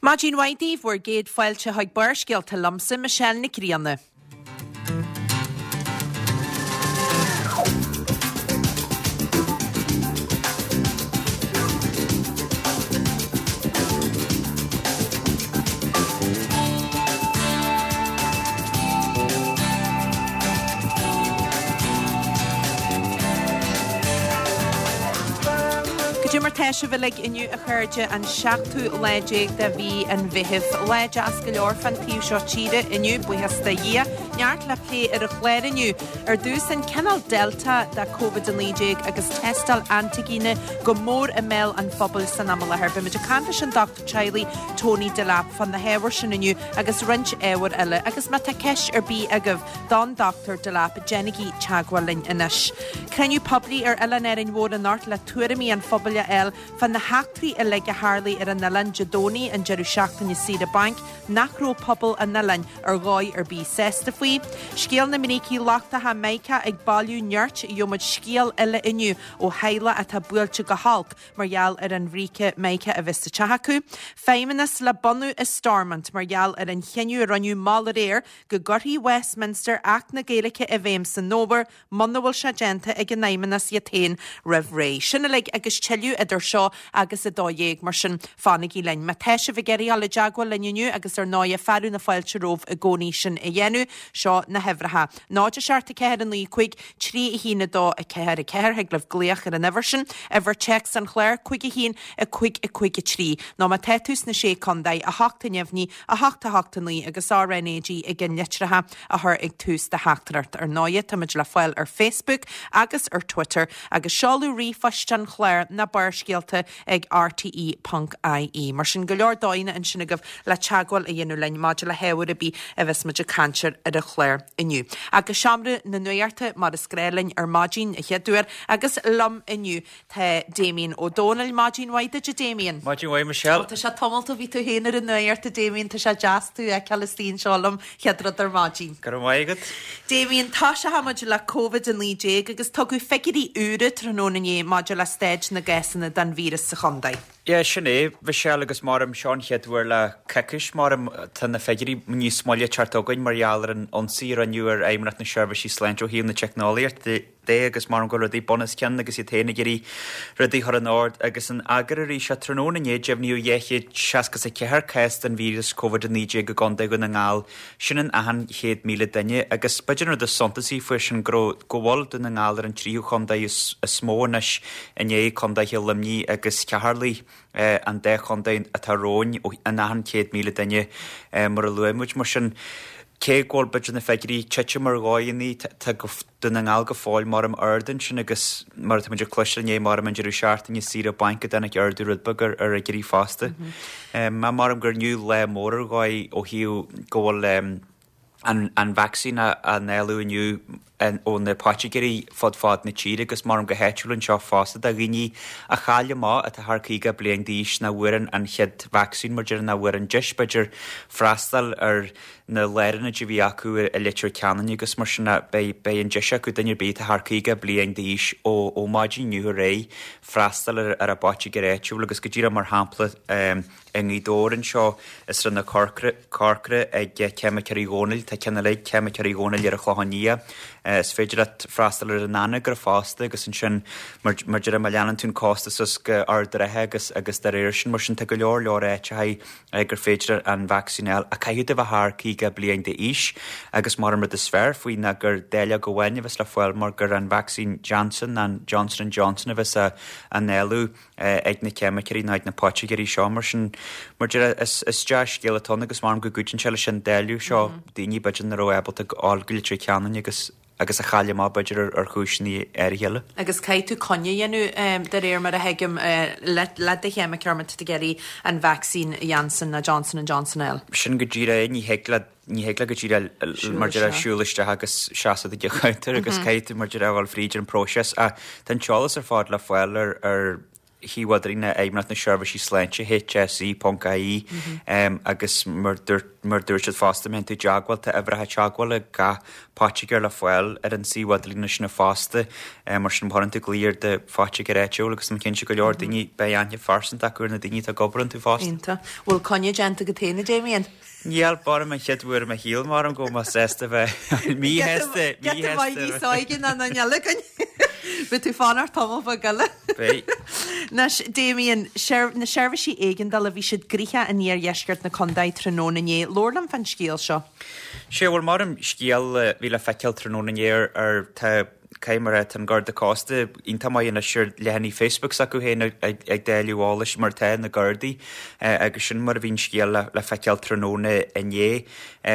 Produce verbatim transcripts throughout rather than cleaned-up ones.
Maidin mhaith daoibh, bhur gcéad fáilte chuig Barrscéalta liomsa, Michelle Nic Grianna. Cad é mar tá sibh uilig inniu a chairde, an seachtú lá déag de mhí an Mheithimh. Lá deas go leor fán taobh seo tíre inniu, buíochas do Dhia. Neart le plé ar an chlár inniu. Ar dtús an cineál Delta de Covid a naoi déag agus tástáil antaigine go mór i mbéal an phobail san am i láthair. Beimid ag caint leis an dochtúir teaghlaigh Tony Delap fá na hábhair sin inniu agus roinnt ábhair eile. Agus má tá ceist ar bith agaibh don Dochtúir Delap, déanaigí teagmháil linn anois. Cruinniú poiblí ar Oileán Árainn Mhór anocht le tuairimí an phobail a fháil fá na heachtraí uilig a tharlaigh ar an oileán Dé Domhnaigh an deireadh seachtaine saoire bainc nach raibh pobal an oileáin ar dhóigh ar bith sásta faoi. Scéal na mbrící lochtacha Mica ag bailiú nirt, gheobhaimid scéal eile inniu ó theaghlach atá buailte go holc mar gheall ar an bhríce Mica a bheith sa teach acu. Feidhmeannas le bunú i Stormont mar gheall ar an chinneadh a rinneadh mall aréir go gcuirfidh Westminster Acht na Gaeilge i bhfeidhm san fhómhar muna bhfuil sé déanta ag an fheidhmeannas iad féin roimh ré. Sin uilig agus tuilleadh idir seo agus a dó dhéag, mar sin fanaigí linn. Má tá sibh ag iarraidh dul i dteagmháil linn inniu agus ar ndóighe fearadh na fáilte romhaibh i gcónaí sin a dhéanamh, seo na huimhreacha. náid a seacht a ceathair a naoi cúig trí a haon a dó a ceathair a ceathair, thig libh glaoch ar an uimhir sin, uimhir téacs an chláir, cúig a haon a cúig a cúig a trí. Nó má tá tú sna Sé Contae, a hocht a neamhní, a hocht a hocht a naoi agus R N A G i gceannlitreacha a chur ag tús do theachtaireacht. Ar ndóighe, táimid le fáil ar Facebook agus ar Twitter agus seoladh ríomhphoist an chláir ná barrscéalta ag R T E ponc I E. Mar sin go leor dóigheanna ansin agaibh le teagmháil a dhéanamh linn maidir le hábhar ar bith a bheas muid ag caint air ar an chlár inniu. Agus seomra na nuachta mar is gnách linn ar maidin a chéad uair agus liom inniu tá Damien Ó Dónaill. Maidin mhaith duit, a Damien. Maidin mhaith, Michelle. Ó, tá sé tamall ó bhí tú féin ar an nuacht, a Damien, tá sé deas tú a fheiceáil istigh anseo liom chéad rud ar maidin. Go raibh maith agat. Damien, tosóidh muid le Covid a naoi déag agus tugadh figiúirí úra tráthnóna inné maidir le staid na gcásanna den víreas sa chontae. Yeah, sin é, Michelle agus maram seo an chéad uair le coicís, maram tá na figiúirí níos moille ag teacht chugainn mar gheall ar an ionsaí a rinneadh ar Fheidhmeannacht na Seirbhísí Sláinte ó thaobh na teicneolaíochta de agus maram go rudaí bun os cionn agus iad féin ag iarraidh rudaí a chur in ord agus in eagar arís tráthnóna inné deimhníodh dhá chéad seasca is a ceathair cás den víreas Covid a naoi déag i gContae Dhún na nGall, sin in achan chéad míle duine agus b'fhéidir an rud is suntasaí faoi sin go raibh go bhfuil Dún na nGall ar an tríú chontae is, is mó anois i ndiaidh contaetha Luimnigh agus Cheatharlaigh. an dá chontae atá romhainn in achan chéad míle duine mar a luaigh muid. Mar sin, cé go bhfuil b'fhéidir na figiúirí ag titim ar dhóigheanna, tá Dún na nGall go fóill maram ard ansin agus mar atá muid ag cloisteáil inné maram an deireadh seachtaine saoire bainc go dtáinig ardú rud beag ar ar fhigiúirí fosta. Maram gur inniu lá mór ar dhóigh ó thaobh go bhfuil an an vacsaín á ndáileadh inniu ó na poitigéirí fud fad na tíre agus maram go háitiúil anseo fosta do dhaoine a chaill amach atá thar caoga bliain d'aois nach bhfuair an chéad vacsaín mar deir nach bhfuair an deis b'fhéidir freastal ar na lárionaid a bhí acu i Leitir Ceanainn agus mar sin beidh beidh an deis acu duine ar bith atá thar caoga bliain d'aois ó ó maidin inniu ar aghaidh freastal ar ar a bpoitigéir áitiúil agus go díreach mar shampla i nGaoth Dobhair anseo i Srath na Corcra Corcra ag Ceimiceoirí Dhónaill tá ceann eile ag Ceimiceoirí Dhónaill ar an Chlochán Liath Is féidir leat freastal ar an Anagaire fosta agus ansin mar mar deir má leanann tú an cósta suas go Ard an Rátha agus agus dá réir sin mar sin tá go leor leor áiteacha gur féidir an vacsaín a fháil ach caithfidh tú a bheith thar caoga bliain d'aois agus mar an rud is fearr faoi ná gur dáileog amháin a bheas le fáil mar gur an vacsaín Janssen an Johnson and Johnson a bheas á ndáileadh ag na ceimiceoirí nó ag na poitigéirí seo mar sin mar deir is is dea-scéal atá ann agus maram go gcuidíonn sé leis an dáileadh seo daoine b'fhéidir nach raibh ábalta gabháil go Leitir Ceanainn agus agus a chaill amach b'fhéidir ar ar chúiseanna áirithe eile. Agus caithfidh tú coinne a dhéanamh de réir mar a thuigim le le do cheimiceoir má tá tú ag iarraidh an vacsaín Janssen nó Johnson and Johnson a fháil. Sin go díreach é, ní thig leat ní thig leat go díreach mar deir siúl isteach agus seasamh ag an gcounter agus caithfidh tú mar deir a dhul fríd an próiseas ach tá an t-eolas ar fad le fáil ar ar shuíomh idirlín Fheidhmeannacht na Seirbhísí Sláinte, H S E ponc I E, agus mar mar dúirt siad fosta, má théann tú i dteagmháil, tá uimhreacha teagmhála gach poitigéir le fáil ar an suíomh idirlín sin fosta. Mar sin, má chuireann tú glao ar do phoitigéir áitiúil, agus tá mé cinnte go leor daoine, beidh aithne phearsanta acu ar na daoine atá ag obair iontu fosta. Iontach. Bhfuil coinne déanta agat féin, a Damien? Níl, b'fhearr an chéad uair i mo shaol mar go mbeidh sásta bheith míshásta. Giota maith níos óige ná an eile againn. Beidh tú fanacht tamall beag eile. Beidh. Anois, Damien, na seirbhísí éigeandála, bhí siad gnoitheach in iardheisceart na contae tráthnóna inné. Labhair liom fán scéal seo. Sé bhuel mar an scéal bhí le feiceáil tráthnóna inné ar ar tá cé mar tá an Garda Cósta iontach maith anois ar leathanaigh Facebook s'acu féin ag dáileadh eolais mar tá na Gardaí agus sin mar a bhí an scéal le feiceáil tráthnóna inné.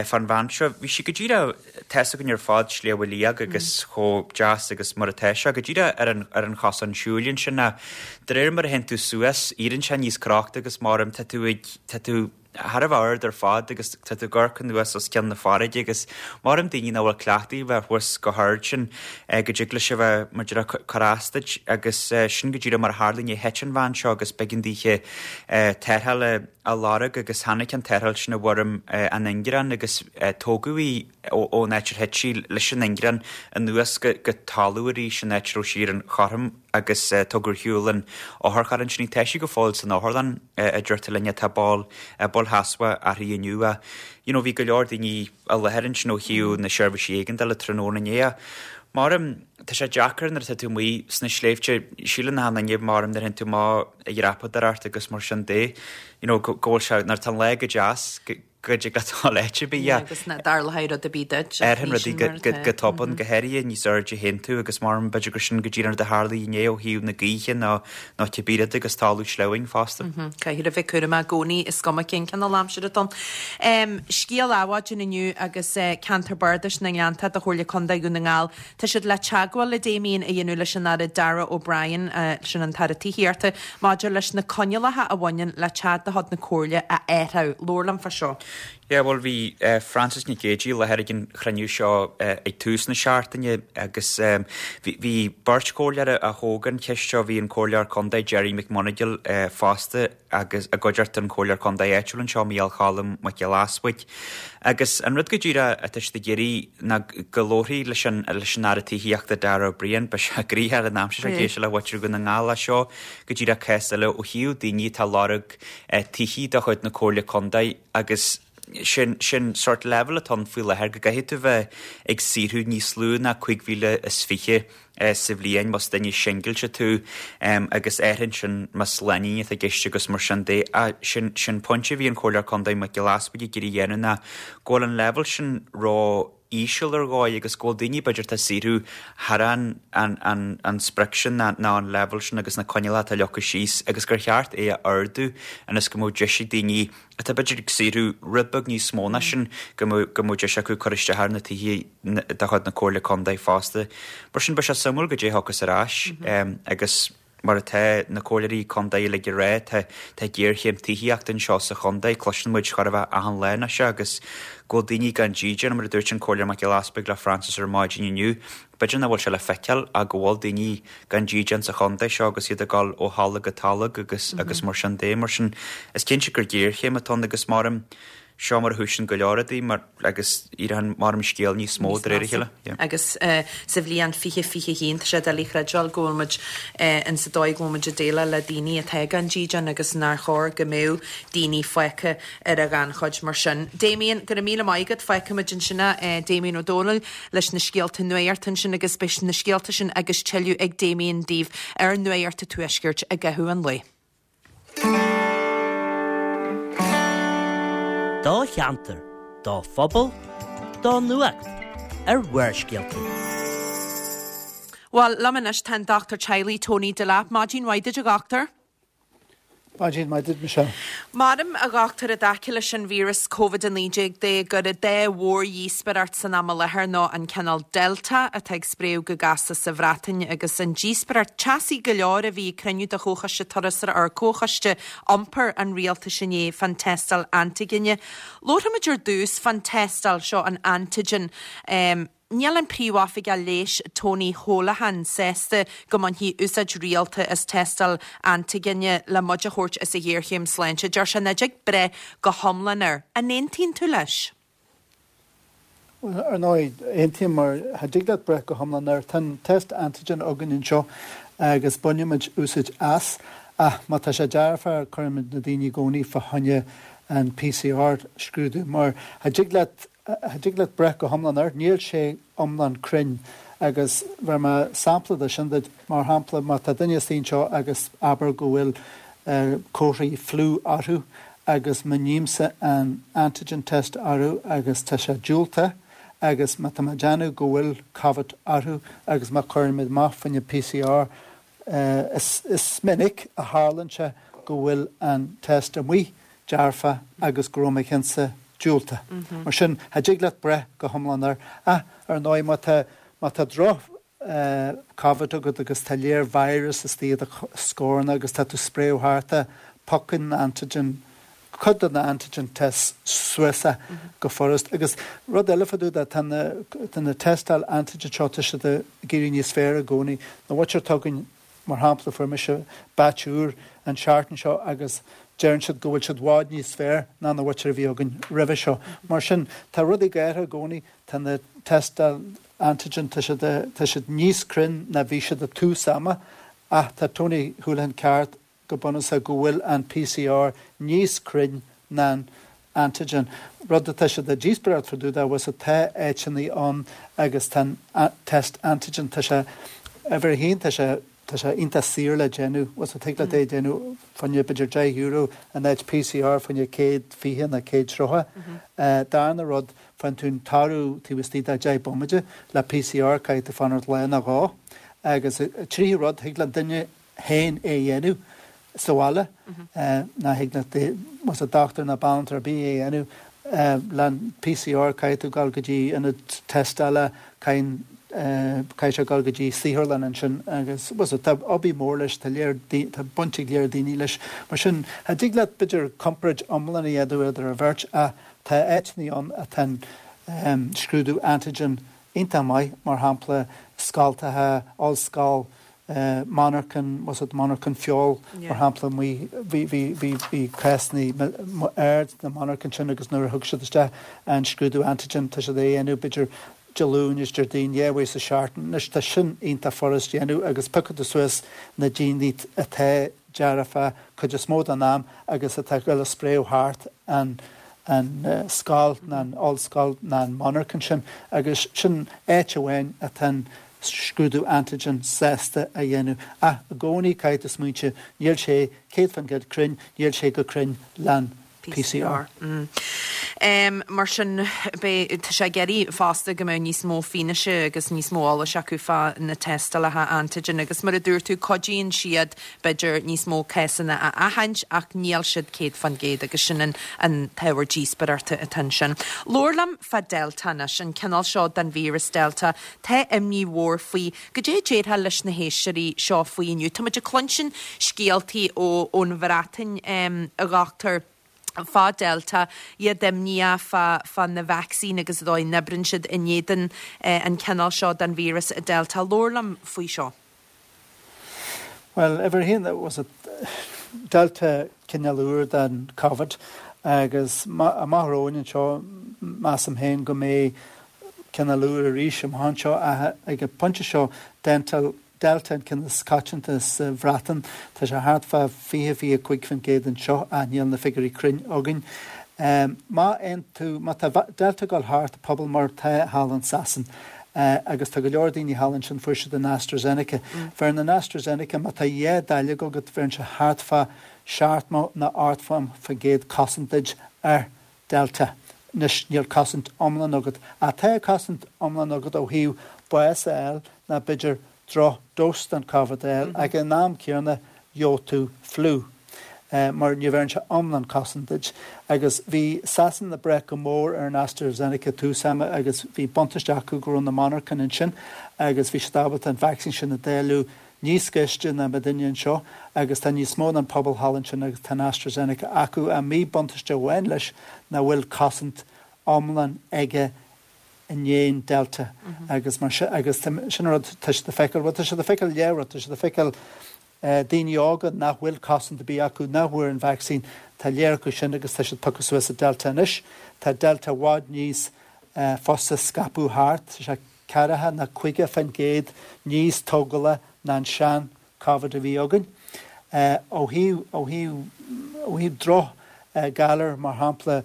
Fán bhean seo, bhí sí go díreach, tá's againn ar fad Sliabh Liag agus chomh deas agus mar atá sé, go díreach ar an ar an chosán siúil ansin ach de réir mar a théann tú suas, éiríonn sé níos crochta agus mar tá tú ag tá tú thar a bheith ard ar fad agus tá tú ag amharc anuas os cionn na farraige agus maram daoine nach bhfuil cleachtaithe bheith thuas go hard sin go dtig leis a bheith mar deir cur as duit agus sin go díreach mar a tharla inné. Thit an bhean seo agus b'éigean dithe tarrtháil a lorg agus tháinig an tarrtháil sin i bhfoirm an ingearán agus tógadh í ón áit ar thit sí leis an ingearán anuas go talamh arís an áit a raibh sí ar an chothrom agus tugadh ar shiúl an otharcharr ansin í. Tá sí go fóill san otharlann, a deirtear linn, tá bail bail sheasmhach uirthi inniu. You know, bhí go leor daoine i láthair ansin ó thaobh na seirbhísí éigeandála tráthnóna inné. Maram, tá sé deacair nuair atá tú amuigh sna sléibhte, síleann achan duine maram nuair a théann tú amach ag dreapadóireacht agus mar sin de, you know, go bhfuil sé, nuair atá an lá go deas, go dtig leat dul áit ar bith. Agus nach dtarlóidh rud ar bith duit. Éiríonn rudaí go tobann, go háirithe níos airde a théann tú agus maram b'fhéidir gur sin go díreach an rud a tharla inné ó thaobh na gaoithe nó nó cibé rud agus talamh sleamhain fosta. Caithfidh a bheith cúramach i gcónaí, is cuma cén cineál aimsire atá ann. Scéal adhmhaidin inniu agus Ceantar Bardais na nGleanntach do Chomhairle Contae Dhún na nGall. Tá siad le teagmháil a Damien a dhéanamh leis an Aire Darragh O'Brien, sin an tAire Tithíochta, maidir leis na coinníollacha a bhaineann le teach de chuid na Comhairle a athrú. Labhair liom fá seo. Yeah, bhuel bhí Frances Nic Géadaigh i láthair ag an chruinniú seo ag tús na seachtaine agus bhí beirt chomhairleoir a thóg an cheist seo, bhí an Comhairleoir Contae Gerry McMonagall fosta agus i gcuideachta an Comhairleoir Contae áitiúil anseo, Micheál Cholm Mac Giolla Easbuig. Agus an rud go díreach atá siad ag iarraidh ná go labharfaí leis an leis an Aire Tithíochta Darragh O'Brien, beidh sé gnoitheach ar an aimsir seo ag éisteacht le mhuintir Dhún na nGall as seo go díreach cás eile ó thaobh daoine atá ag lorg tithí de chuid na Comhairle Contae agus sin sin sort leibhéal atá ann faoi láthair go gcaithfidh tú bheith ag saothrú níos lú ná cúig mhíle is fiche sa bhliain más duine singilte tú agus áirithe sin más lánúin atá i gceist agus mar sin de. Sin sin pointe a bhí an Comhairleoir Contae Mac Giolla Easbuig ag iarraidh a dhéanamh ná go bhfuil an leibhéal sin ró íseal ar dhóigh agus go bhfuil daoine b'fhéidir atá ag saothrú thar an an an an sprioc sin ná ná an leibhéal sin agus na coinníollacha atá leagtha síos agus gur cheart é a ardú ionas go mbeadh deis ag daoine atá b'fhéidir ag saothrú rud beag níos mó ná sin go mbeadh go mbeadh deis acu cur isteach ar na tithe de chuid na Comhairle Contae fosta. Mar sin beidh sé suimiúil goidé a thiocfas ar ais agus mar atá na comhairleoirí contae uilig ag rá, tá tá géarchéim tithíochta anseo sa chontae, cloiseann muid chóir a bheith achan lá anois agus go bhfuil daoine gan dídean, mar a dúirt an Comhairleoir Mac Giolla Easbuig le Frances ar maidin inniu, b'fhéidir nach bhfuil sé le feiceáil ach go bhfuil daoine gan dídean sa chontae seo agus iad ag dul ó tholg go tolg agus agus mar sin de. Mar sin is cinnte gur géarchéim atá ann agus maram seo mar a thosaíonn go leor rudaí mar agus éiríonn mar an scéal níos mó de réir a chéile. Yeah. Agus sa bhliain fiche fiche haon tá sé doiligh a chreidbheáil go bhfuil muid in sa dóigh go bhfuil muid ag déileáil le daoine atá gan dídean agus nár chóir go mbeadh daoine fágtha ar a ghannchuid mar sin. Damien, go raibh míle maith agat, fágfaimid ansin é, Damien Ó Dónaill leis na scéalta nuachta ansin agus beidh na scéalta sin agus tuilleadh ag Damien daoibh ar Nuacht an Tuaiscirt i gcaitheamh an lae. Do cheantar, do phobal, do nuacht ar Bharrscéalta. Bhuel, liom anois tá an dochtúir teaghlaigh Tony Delap. Maidin mhaith duit, a dhochtúir. Maidin mhaith duit, Michelle. Maram, a dhochtúir, i dtaca leis an víreas Covid a naoi déag de gur an dá mhórdhíospóireacht san am i láthair ná an cineál Delta atá ag spréadh go gasta sa Bhreatain agus an díospóireacht teasaí go leor a bhí ag cruinniú de Chomhchoiste Turasóireachta ar Comhchoiste Iompair an Rialtais inné fán tástáil antaigine. Labharfaimid ar dtús fán tástáil seo an antigen. Níl an príomhoifigeach leighis Tony Holohan sásta go mbainfí úsáid rialta as tástáil antaigine le muid a thabhairt as an ghéarchéim sláinte. Deir sé nach dtig breith go hiomlán air. An aontaíonn tú leis? Ar ndóigh, aontaím mar cha dtig leat breith go hiomlán air. Tá an test antigen againn anseo agus bainimid úsáid as, ach má tá sé dearfa cuirimid na daoine i gcónaí fá choinne an PCR scrúdú mar cha dtig leat cha dtig leat breith go hiomlán air, níl sé iomlán cruinn agus bheir mé sampla de sin duit, mar shampla má tá duine istigh anseo agus abair go bhfuil comharthaí fliú orthu agus má nímse an antigen test orthu agus tá sé diúltach agus má tá mé ag déanamh go bhfuil Covid orthu agus má chuirimid amach fá choinne PCR, is is minic a tharlaíonn sé go bhfuil an test amuigh dearfa agus go raibh mo chinnse diúltach. Mar sin, cha dtig leat breith go hiomlán air. Ach ar ndóigh má tá má tá droch Covid agat agus tá léir virus istigh i do scorna agus tá tú ag spréadh thart é, piocann antigen cuid de na antigen tests suas é go furast. Agus rud eile fá dtaobh de, tá na tá na tástáil antigen seo, tá siad ag éirí níos fearr i gcónaí. Na bhfuil atá againn, mar shampla, fuair mise batch úr an tseachtain seo agus deireann siad go bhfuil siad i bhfad níos fearr ná na bhfuil a bhí againn roimhe seo. Mar sin, tá rudaí ag athrú i gcónaí, tá na tástáil antigen, tá siad tá siad níos cruinn ná bhí siad i tús ama, ach tá Tony Holohan ceart go bunúsach go bhfuil an PCR níos cruinn ná an antigen. Rud atá siad ag díospóireacht fá dtaobh de bhfuil tá áiteanna ann agus tá an test antigen tá sé uimhir a haon tá sé tá sé iontach saor le déanamh, bhfuil tig leat é déanamh fá choinne b'fhéidir deich euro in áit PCR fá choinne céad fiche nó céad tríocha. Darna rud faigheann tú an toradh taobh istigh de deich bomaite le PCR caithfidh tú fanacht lá nó dhó agus tríú rud thig le duine féin é a dhéanamh sa bhaile ná thig le más a dochtúir ná banaltra ar bith é a dhéanamh le PCR caithfidh tú dul go dtí ionad tástála caithfidh caithfidh sé dul go dtí saotharlann ansin agus was tá obair mór leis tá léir tá baint ag léir daoine leis mar sin cha dtig leat b'fhéidir comparáid iomlán a dhéanamh idir an bheirt ach tá áiteanna ann atá an scrúdú antigen iontach maith mar shampla scoltacha ollscoil monarchan was it monarchan feoil mar shampla bhí bhí bhí bhí cásanna ard na monarchan sin agus nuair a thug siad isteach an scrúdú antigen tá siad é a dhéanamh b'fhéidir Dé Luain is Déardaoin dhá uair sa seachtain anois tá sin iontach furast déanamh agus piocfaidh tú suas na daoine atá dearfa cuid is mó den am agus atá ag dul ag spréadh thart an an scoil ná an ollscoil ná an monarchan sin agus sin áit amháin atá an scrúdú antigen sásta a dhéanamh ach i gcónaí caithfidh tú smaointiú níl sé céad faoin gcéad cruinn níl sé go cruinn lean PCR. Mm. Um, mar sin tá sé ag iarraidh fosta go mbeadh níos mó fianaise agus níos mó eolais acu fá na tástálacha antigen agus mar a dúirt tú cuidíonn siad b'fhéidir níos mó cásanna a aithint ach níl siad céad faoin gcéad agus sin an, an t-ábhar díospóireachta atá sin. Labhair liom fá Delta anois an cineál seo den víreas Delta tá imní mhór faoi goidé a déarfá leis na héisteoirí seo faoi inniu. Tá muid ag cluinstin scéaltaí ó ón Bhreatain um, a dhochtúir fá Delta iad imníoch fá fá na vacsaíní agus an dóigh a n-oibríonn siad in éadan eh, an cineál seo den víreas Delta. Labhair liom faoi seo. Well, uimhir a haon was it Delta cineál úr den COVID agus amach romhainn anseo measaim féin go mbeidh cineál úr arís amach anseo ag an bpointe seo dental Delta an ceann is coitianta sa Bhreatain tá sé thart fá fiche fiche cúig faoin gcéad anseo ach níl na figiúirí cruinn againn. Um, má aon tú má tá Delta ag dul thart pobal mar tá thall in Sasain. Uh, agus tá go leor daoine thall ansin fuair siad an AstraZeneca. Mm. Bheireann an AstraZeneca má tá dhá dáileog agat bheireann sé thart fá seachtó nó ochtó faoin gcéad cosaint duit ar Delta. Anois níl cosaint iomlán agat. Ach tá cosaint iomlán agat ó thaobh bás a fháil ná b'fhéidir droch dose den COVID a fháil ag an am céanna gheobhaidh tú fliú. Uh, mar ní bheireann sé iomlán cosaint duit. Agus bhí Sasain ag brath go mór ar an AstraZeneca tús ama agus bhí buntáiste acu go raibh na monarchain ansin agus bhí siad ábalta an vacsaín sin a dáileadh níos gaiste ná muidinne anseo agus tá níos mó an pobal thall ansin agus tá an AstraZeneca acu an míbhuntáiste amháin leis nach bhfuil cosaint iomlán aige i ndiaidh Delta agus mar sin agus sin rud tá siad ag feiceáil, bhuel tá siad ag feiceáil leathrud, tá siad ag feiceáil daoine óga nach bhfuil cosaint ar bith acu, nach bhfuair an vacsaín, tá lear acu sin agus tá siad piocadh suas i Delta anois. Tá Delta i bhfad níos fusa scaipeadh thart, tá sé ceathracha nó caoga faoin gcéad níos tógála ná an sean Covid a bhí againn. Ó thaobh, ó thaobh, ó thaobh droch galar mar shampla,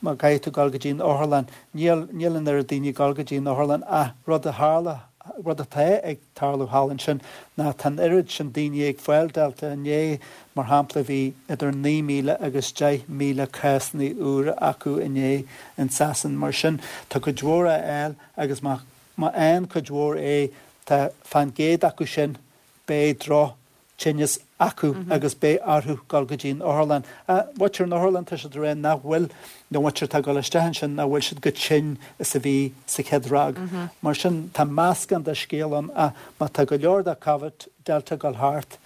má caithfidh tú dul go dtí an otharlann, níl, níl an oiread daoine ag dul go dtí an otharlann ach rud a tharla, rud atá ag tarlú thall ansin ná tá an oiread sin daoine ag fáil Delta inné, mar shampla bhí idir naoi míle agus deich míle cásanna úra acu inné in Sasain. Mar sin tá cuid mhór á fháil agus má, má fhaigheann cuid mhór é tá fán gcéad acu sin beidh droch tinneas acu agus beidh orthu dul go dtí an otharlann. Muintir an otharlann, tá siad ag rá nach bhfuil, nó muintir atá ag dul isteach ansin, nach bhfuil siad chomh tinn is a bhí sa chéad ráig. Mar sin, tá meascán de scéal ann ach má tá go leor de Covid Delta ag dul thart,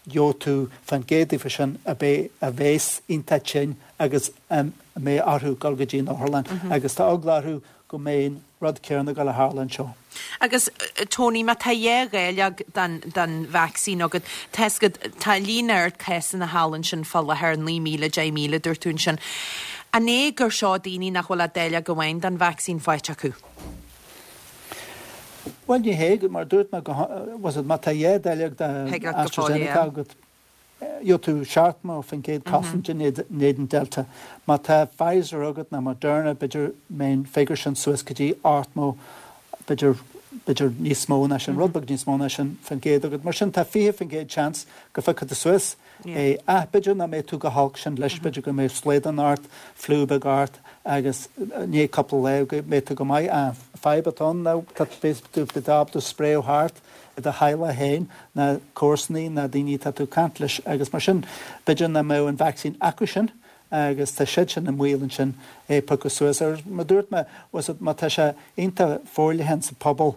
gheobhaidh tú fán gcéad díobh sin a bheidh, a bheas iontach tinn agus a mbeidh orthu dul go dtí an otharlann agus tá eagla orthu go mbeidh an rud céanna ag dul a tharlú anseo. Agus Tony, má tá dhá dháileog den, den vacsaín agat, tá fhios agat, tá líon ard cásanna thall ansin fá láthair, naoi míle, deich míle, dúirt tú ansin. An é gur seo daoine nach bhfuil ach dáileog amháin den vacsaín faighte acu? Bhuel, ní hé, mar dúirt mé, go, was it, má tá dhá dháileog de AstraZeneca agat, gheobhaidh tú seachtó faoin gcéad cosaint in éadan Delta. Má tá Pfizer agat nó Moderna, b'fhéidir mbeidh an figiúr sin suas go dtí ochtó, b'fhéidir, b'fhéidir níos mó ná sin, rud beag níos mó ná sin faoin gcéad agat. Mar sin tá fiche faoin gcéad seans go bhfeicfidh tú suas é. Ach b'fhéidir nach mbeidh tú chomh holc sin leis, b'fhéidir go mbeidh slaghdán ort, fliú beag ort agus i ndiaidh cúpla lá go mbeidh tú go maith. An fadhb atá ann ná tá, beidh tú ábalta spréadh thart i do theaghlach féin, na comharsanaí, na daoine atá tú ag caint leis agus mar sin b'fhéidir nach mbeadh an vacsaín acu sin agus tá siad sin i mbaol ansin é piocadh suas. Ar mar dúirt mé, was it, má tá sé iontach forleathan sa phobal,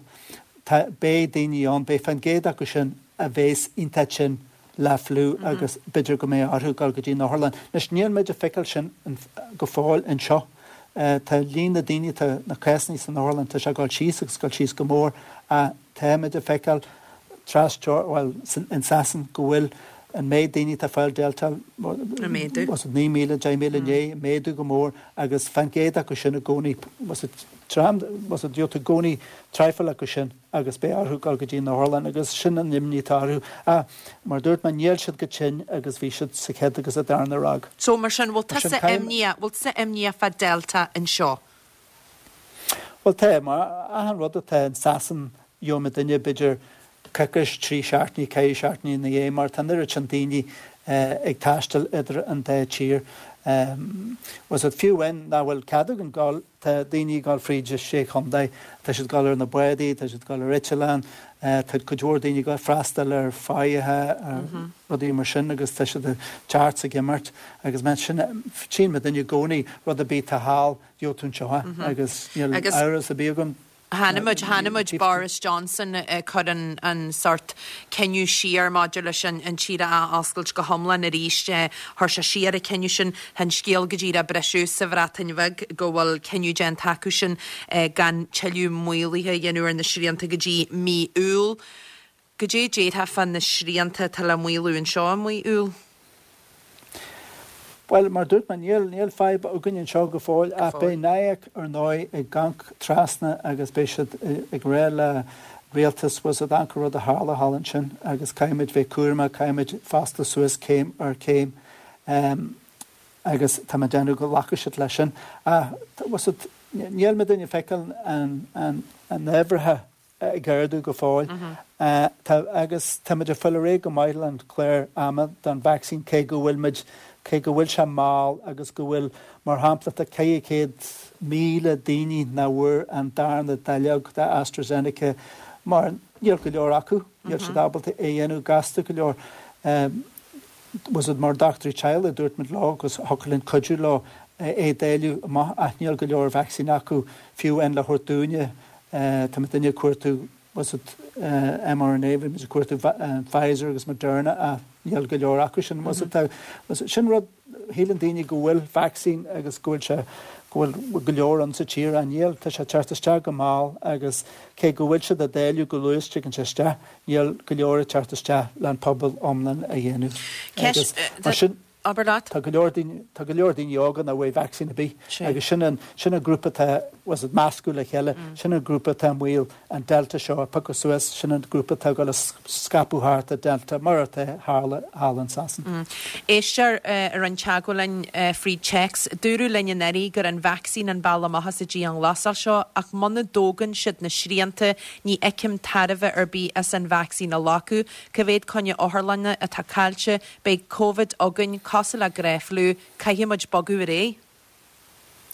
tá, beidh daoine ann, beidh fán gcéad acu sin a bheas iontach tinn le fliú agus b'fhéidir go mbeidh orthu dul go dtí an otharlann. Anois níl muid ag feiceáil sin go fóill anseo. Tá líon na daoine, tá na cásanna san otharlann, tá sé ag dul síos agus ag dul síos go mór ach táimid ag feiceáil tras, bhuel, in Sasain go bhfuil an méid daoine atá ag fáil Delta, was it naoi míle, deich míle inné, ag méadú go mór agus fán gcéad acu sin i gcónaí, was it tram, was it gheobhaidh tú i gcónaí traidhfil acu sin agus beidh orthu dul go dtí an otharlann agus sin an imní atá orthu. Ach mar a dúirt mé, níl siad chomh tinn agus bhí siad sa chéad agus sa darna ráig. So mar sin, bhfuil tusa imníoch, bhfuil tusa imníoch fá Delta anseo? Bhuel tá, mar achan rud atá in Sasain, gheobhaidh duine b'fhéidir coicís, trí seachtainí, ceithre seachtainí ina dhiaidh mar tá an oiread sin daoine ag taisteal idir an dá tír. Was it fiú amháin nach bhfuil cead againn dul, tá daoine ag dul fríd na sé chontae, tá siad ag dul ar na bádaí, tá siad ag dul ar eitleán, tá cuid mhór daoine ag dul freastal ar fáithe, ar rudaí mar sin agus tá siad ag teacht is ag imeacht agus mar sin tchíonn muid i gcónaí rud ar bith atá thall, gheobhaidh tú anseo agus níl amhras ar bith agam. Chonaic muid, chonaic muid Boris Johnson ag cur an, an sórt cinneadh siar maidir leis an, an tír a athoscailt go hiomlán arís. Chuir sé siar an cinneadh sin. Tá an scéal go díreach ag briseadh sa Bhreatain Bheag go bhfuil cinneadh déanta acu sin gan tuilleadh maolaithe a dhéanamh ar na srianta go dtí mí Iúil. Goidé déarfá fá na srianta atá le maolú anseo i mí Iúil? Bhuel, mar dúirt mé, níl, níl fadhb againn anseo go fóill, ach beidh NIAC ar ndóigh ag amharc trasna agus beidh siad ag rá le rialtas, was it amharc an rud a tharla thall ansin agus caithfimid bheith cúramach, caithfimid foscladh suas céim ar chéim agus tá mé ag déanamh go nglacfaidh siad leis sin. Ach, was it, níl muid ag feiceáil an, an, an uimhreacha ag ardú go fóill. Tá, agus táimid ag fáil ar aghaidh go maith le an clár ama don vacsaín cé go bhfuil muid, cé go bhfuil sé mall agus go bhfuil, mar shampla, tá ceithre chéad míle daoine nach bhfuair an darna dáileog de AstraZeneca mar níl go leor acu, níl siad ábalta é a dhéanamh gasta go leor. Was it mar dochtúirí teaghlaigh, dúirt muid leo agus thiocfadh linn cuidiú leo é a dháileadh amach ach níl go leor vacsaín acu fiú amháin le thabhairt dúinne. Tá muid ag cuartú was it mRNA, bhí muid ag cuartú Pfizer agus Moderna ach níl go leor acu sin. Tá sin rud shíleann daoine go bhfuil vaccine agus go bhfuil sé go bhfuil go leor an sa tír an níl tá sé teacht isteach go mall agus cé go bhfuil siad ag dáileadh go luath tagann sé isteach níl go leor ag teacht isteach le an pobal iomlán a dhéanamh. Ceist Mar sin Abair leat. Tá go leor daoine tá go leor daoine óga nach bhfuil vaccine ar bith Sé. agus sin an sin an grúpa atá was it meascadh le chéile sin an grúpa atá i mbaol an Delta seo a phiocadh suas sin an grúpa atá ag scaipeadh thart an Delta mar atá tharla thall in Sasana. Éisteoir a rinne teagmháil linn fríd téacs, dúradh linn anuraidh gur an vacsaín an bealach amach as an dianghlasáil seo ach muna dtógann siad na srianta ní fheicim tairbhe ar bith as an vacsaín a ghlacadh, Cá mhéad coinne otharlainne atá caillte, beidh COVID againn cosúil le gnáthfhliú, caithfimid bogadh ar aghaidh.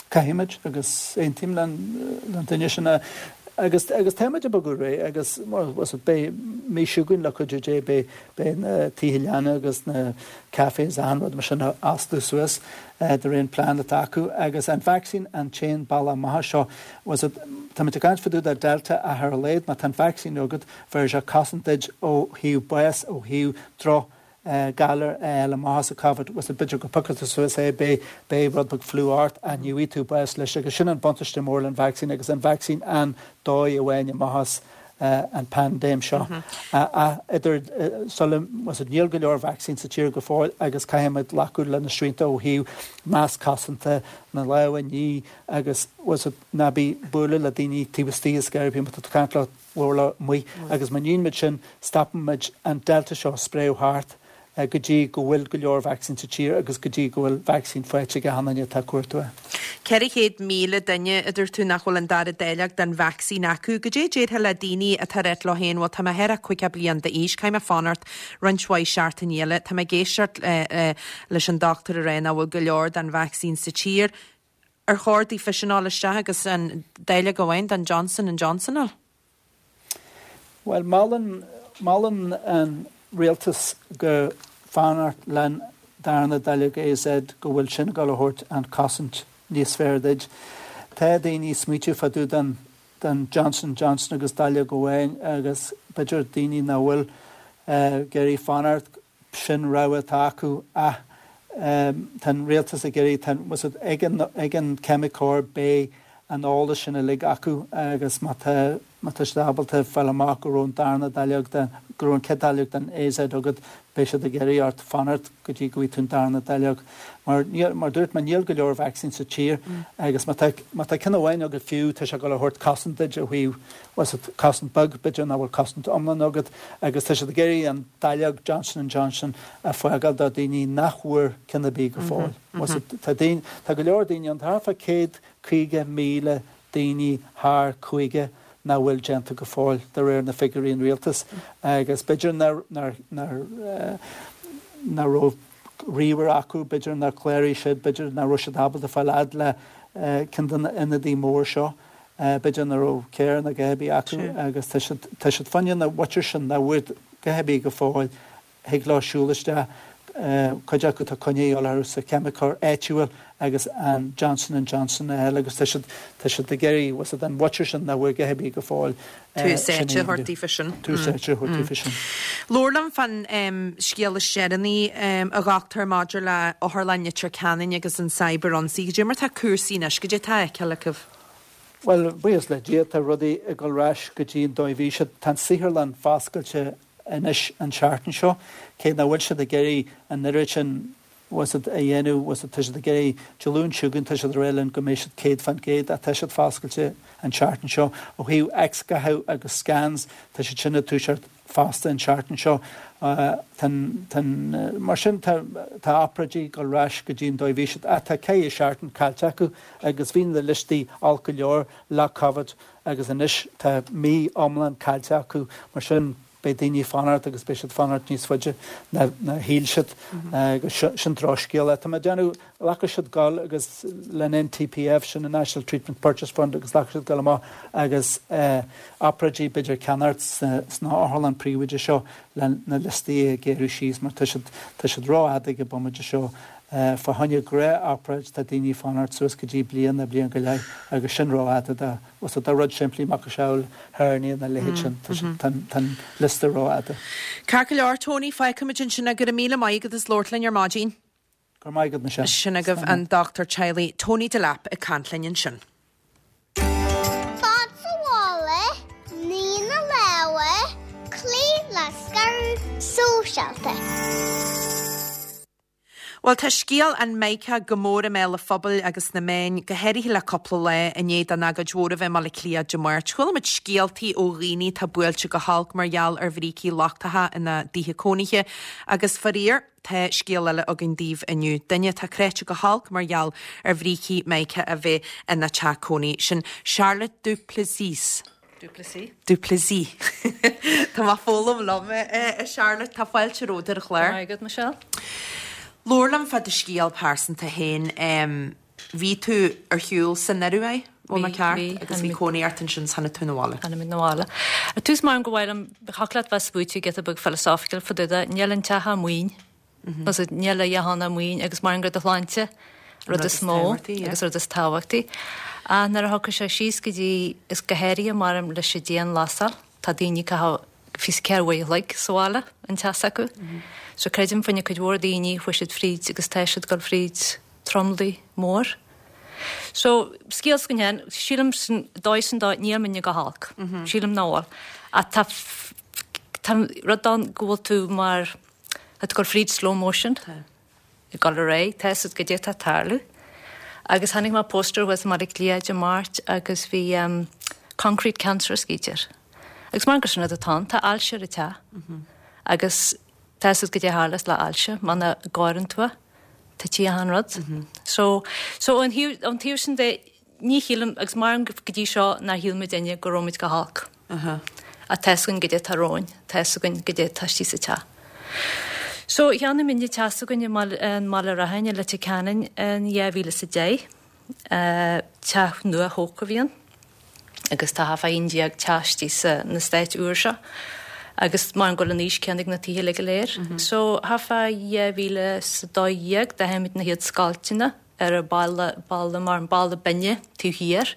Caithfimid agus aontaím le an duine sin agus agus táimid ag bogadh ar aghaidh agus was it beidh mí seo chugainn le cuidiú Dé beidh beidh na tithe leanna agus na cafés an rud mar sin oscailte suas de réir an plean atá acu agus an vaccine an t-aon bealach amach seo was it Tá muid ag caint fá dtaobh de Delta ach ar a laghad má tá an vaccine agat bheir sé cosaint duit ó thaobh bás ó thaobh droch galar le amach as COVID was b'fhéidir go bpiocfaidh tú suas é beidh beidh rud beag fliú ort ach ní bhfaighidh tú bás leis agus sin an buntáiste mór an vaccine agus an vaccine an dóigh amháin amach as an paindéim seo. Idir sula was it níl go leor vaccine sa tír go fóill agus caithfimid glacadh le na srianta ó thaobh masc cosanta na lámha a ní agus was it ná bí ag bualadh le daoine taobh istigh is gar bí tá caint le le amuigh agus má níonn muid sin stopann an Delta seo spréadh thart go dtí go bhfuil go leor vaccine sa tír agus go dtí go bhfuil vaccine faighte ag an duine atá cuartú. Ceithre chéad míle duine a dúirt tú nach bhfuil an dara dáileog den vacsaín acu, Goidé a déarfá le daoine atá ag rá leo féin bhuel tá mé thar caoga bliain d'aois, caithfidh mé fanacht roinnt mhaith seachtainí eile, Tá mé ag éisteacht leis an dochtúir ag rá nach bhfuil go leor den vacsaín sa tír. Ar chóir daofa sin dul isteach agus an dáileog amháin den Johnson and Johnson a fháil? Well molann molann an rialtas go fanacht len darna dáileog AZ go bhfuil sin go thabhairt an cosaint níos fearr duit. Tá daoine smaoitiú fá dtaobh den den Johnson Johnson agus dáileog amháin agus b'fhéidir daoine nach bhfuil ag iarraidh fanacht sin rogha atá acu ach tá an rialtas ag iarraidh was it ag an ag an ceimiceoir beidh an eolas sin uilig acu agus má tá má tá siad ábalta fáil amach go raibh an darna dáileog den go raibh an chéad dáileog den AZ agat beidh siad ag iarraidh ort fanacht go dtí go bhfaighidh tú an darna dáileog. Mar níl mar dúirt mé níl go leor vaccine sa tír agus má tá má tá ceann amháin agat fiú tá sé go thabhairt cosaint duit ó thaobh was it cosaint beag b'fhéidir nach bhfuil cosaint iomlán agat agus tá siad ag iarraidh an dáileog Johnson and Johnson a fhágáil do daoine nach bhfuair ceann ar bith go fóill. Was it tá daoine tá go leor daoine an thart fá céad caoga míle daoine thar caoga nach bhfuil déanta go fóill de réir na figiúirí an rialtas agus b'fhéidir nar nar nar nach raibh ríomhaire acu b'fhéidir nár chláraigh siad b'fhéidir nach raibh siad ábalta fáil fhad le ceann de na ionadaí mór seo b'fhéidir nach raibh carr ná a dhath ar bith acu agus tá siad tá siad fá choinne na mhuintir sin nach bhfuair a dhath ar bith go fóill thig leo siúl isteach cuid acu tá coinne orthu sa cheimiceoir áitiúil agus an Johnson and Johnson eile agus tá siad tá siad ag iarraidh was it an mhuintir sin nach bhfuair a dhath ar bith go fóill Tús áite a thabhairt daofa sin. Tús áite a thabhairt daofa sin. Labhair liom fán scéal is deireanaí a dhochtúir maidir le Otharlann Leitir Ceanainn agus an cyber-ionsaí. Goidé mar tá cúrsaí anois, goidé atá á fheiceáil acu. Well buíochas le Dia tá rudaí ag dul ar ais go dtí an dóigh a bhí siad tá an saotharlann foscailte anois an seachtain seo cé nach bhfuil siad ag iarraidh an oiread sin was it a dhéanamh was it tá siad ag iarraidh Dé Luain seo chugainn tá siad ag rá linn go mbeidh siad céad faoin gcéad ach tá siad foscailte an seachtain seo ó thaobh X-ghatha agus scans tá siad sin ag toiseacht fosta an seachtain seo tá tá mar sin tá tá obráidí ag dul ar ais go dtí an dóigh a bhí siad ach tá ceithre seachtain caillte acu agus bhí na liostaí olc go leor le COVID agus anois tá mí iomlán caillte acu mar sin beidh daoine fanacht agus beidh siad fanacht níos faide ná ná shíl siad agus sin drochscéal. Tá mé ag déanamh ghlacadh siad dul agus len NTPF sin an National Treatment Purchase Fund agus ghlacadh siad dul amach agus obráidí b'fhéidir ceannacht sna otharlann príobháideach seo le na liostaí a ghéarú síos mar tá siad tá siad rófhada ag an bomaite seo Fá choinne gnáth-obráid tá daoine ag fanacht suas go dtí bliain nó bliain go leith agus sin rófhada do do rud simplí macasamhail hernia na leithéid sin. Tá an liosta rófhada. Ceart go leor Tony, fágfaimid ansin go raibh míle maith agat as labhairt linn ar maidin. Go raibh maith agat Michelle. Sin agaibh an dochtúir teaghlaigh Tony Delap ag caint linn ansin. Fad sa bhaile, nigh na lámha, cloígh le scaradh sóisialta. Bhuel, tá scéal an Mica go mór i mbéal an phobail agus na meáin, go háirithe le cúpla lá i ndiaidh don agóid mhór a bheith i mBaile Átha Cliath Dé Máirt. Chuala muid scéaltaí ó dhaoine atá buailte go holc mar gheall ar bhrící lochtacha ina dtithe cónaithe agus faraor, tá scéal eile againn daoibh inniu. Duine atá cráite go holc mar gheall ar bhrící Mica a bheith ina teach cónaí. Sin Charlotte Duplessis. Duplessis. Duplessis. Tá mé ag foghlaim liom, a Charlotte, tá fáilte romhat ar an chlár. Maith agat, Michelle. Labhair liom fá do scéal pearsanta féin. Bhí tú ar shiúl san Ioruaidh, bhfuil mé ceart? Agus bhí cónaí ort ansin is tháinig tú 'na bhaile. Tháinig muid 'na bhaile. Ar tús mar go bhfuil thiocfadh leat bheith spúite giota beag philosophical fá dtaobh de, níl an teach amuigh. Níl a dhath ann amuigh agus mar gur do shláinte rud is mó agus rud is tábhachtaí. Ach nuair a thiocfaidh sé síos go dtí is go háirithe mar leis an dianghlasáil, tá daoine ag caitheamh fiche ceathair uair a chloig sa bhaile an teas acu. So creidim fá choinne cuid mhór daoine chuaigh siad fríd agus tá siad ag dul fríd tromluí mór. So scéal s'againn féin, sílim san dóigh sin dó níl muidne go holc. Sílim nach bhfuil. Ach tá tá rud ann go bhfuil tú mar tá tú ag dul fríd slow motion. Ag dul ar aghaidh, tá a fhios agat goidé atá ag tarlú. Agus chonaic mé poster thuas i mBaile Átha Cliath Dé Máirt agus bhí um, concrete cancer scríte air. Agus mar gur sin rud atá ann, tá ailse ar an teach. Agus tá a fhios agat goidé a tharlas le ailse, muna gcóireann tú é, tá tí an rud. So, so an thaobh an taobh sin de ní shílim agus mar go dtí seo nár shíl muid duine go raibh muid go holc. Ach tá a fhios againn goidé atá romhainn, tá a fhios againn goidé atá istigh sa teach. So cheannaigh muid teach s'againn i mBaile Rathain i Leitir Ceanainn in dhá mhíle is a deich. Teach nua thógtha a bhí ann agus tá thart fá aon déag teach istigh sa na stáit úr seo agus mar go bhfuil an aois céanna ag na tithe uilig go léir. So thart fá dhá mhíle is a dó dhéag d'aithin muid na chéad scoilteanna ar an balla balla mar an balla binne taobh thiar.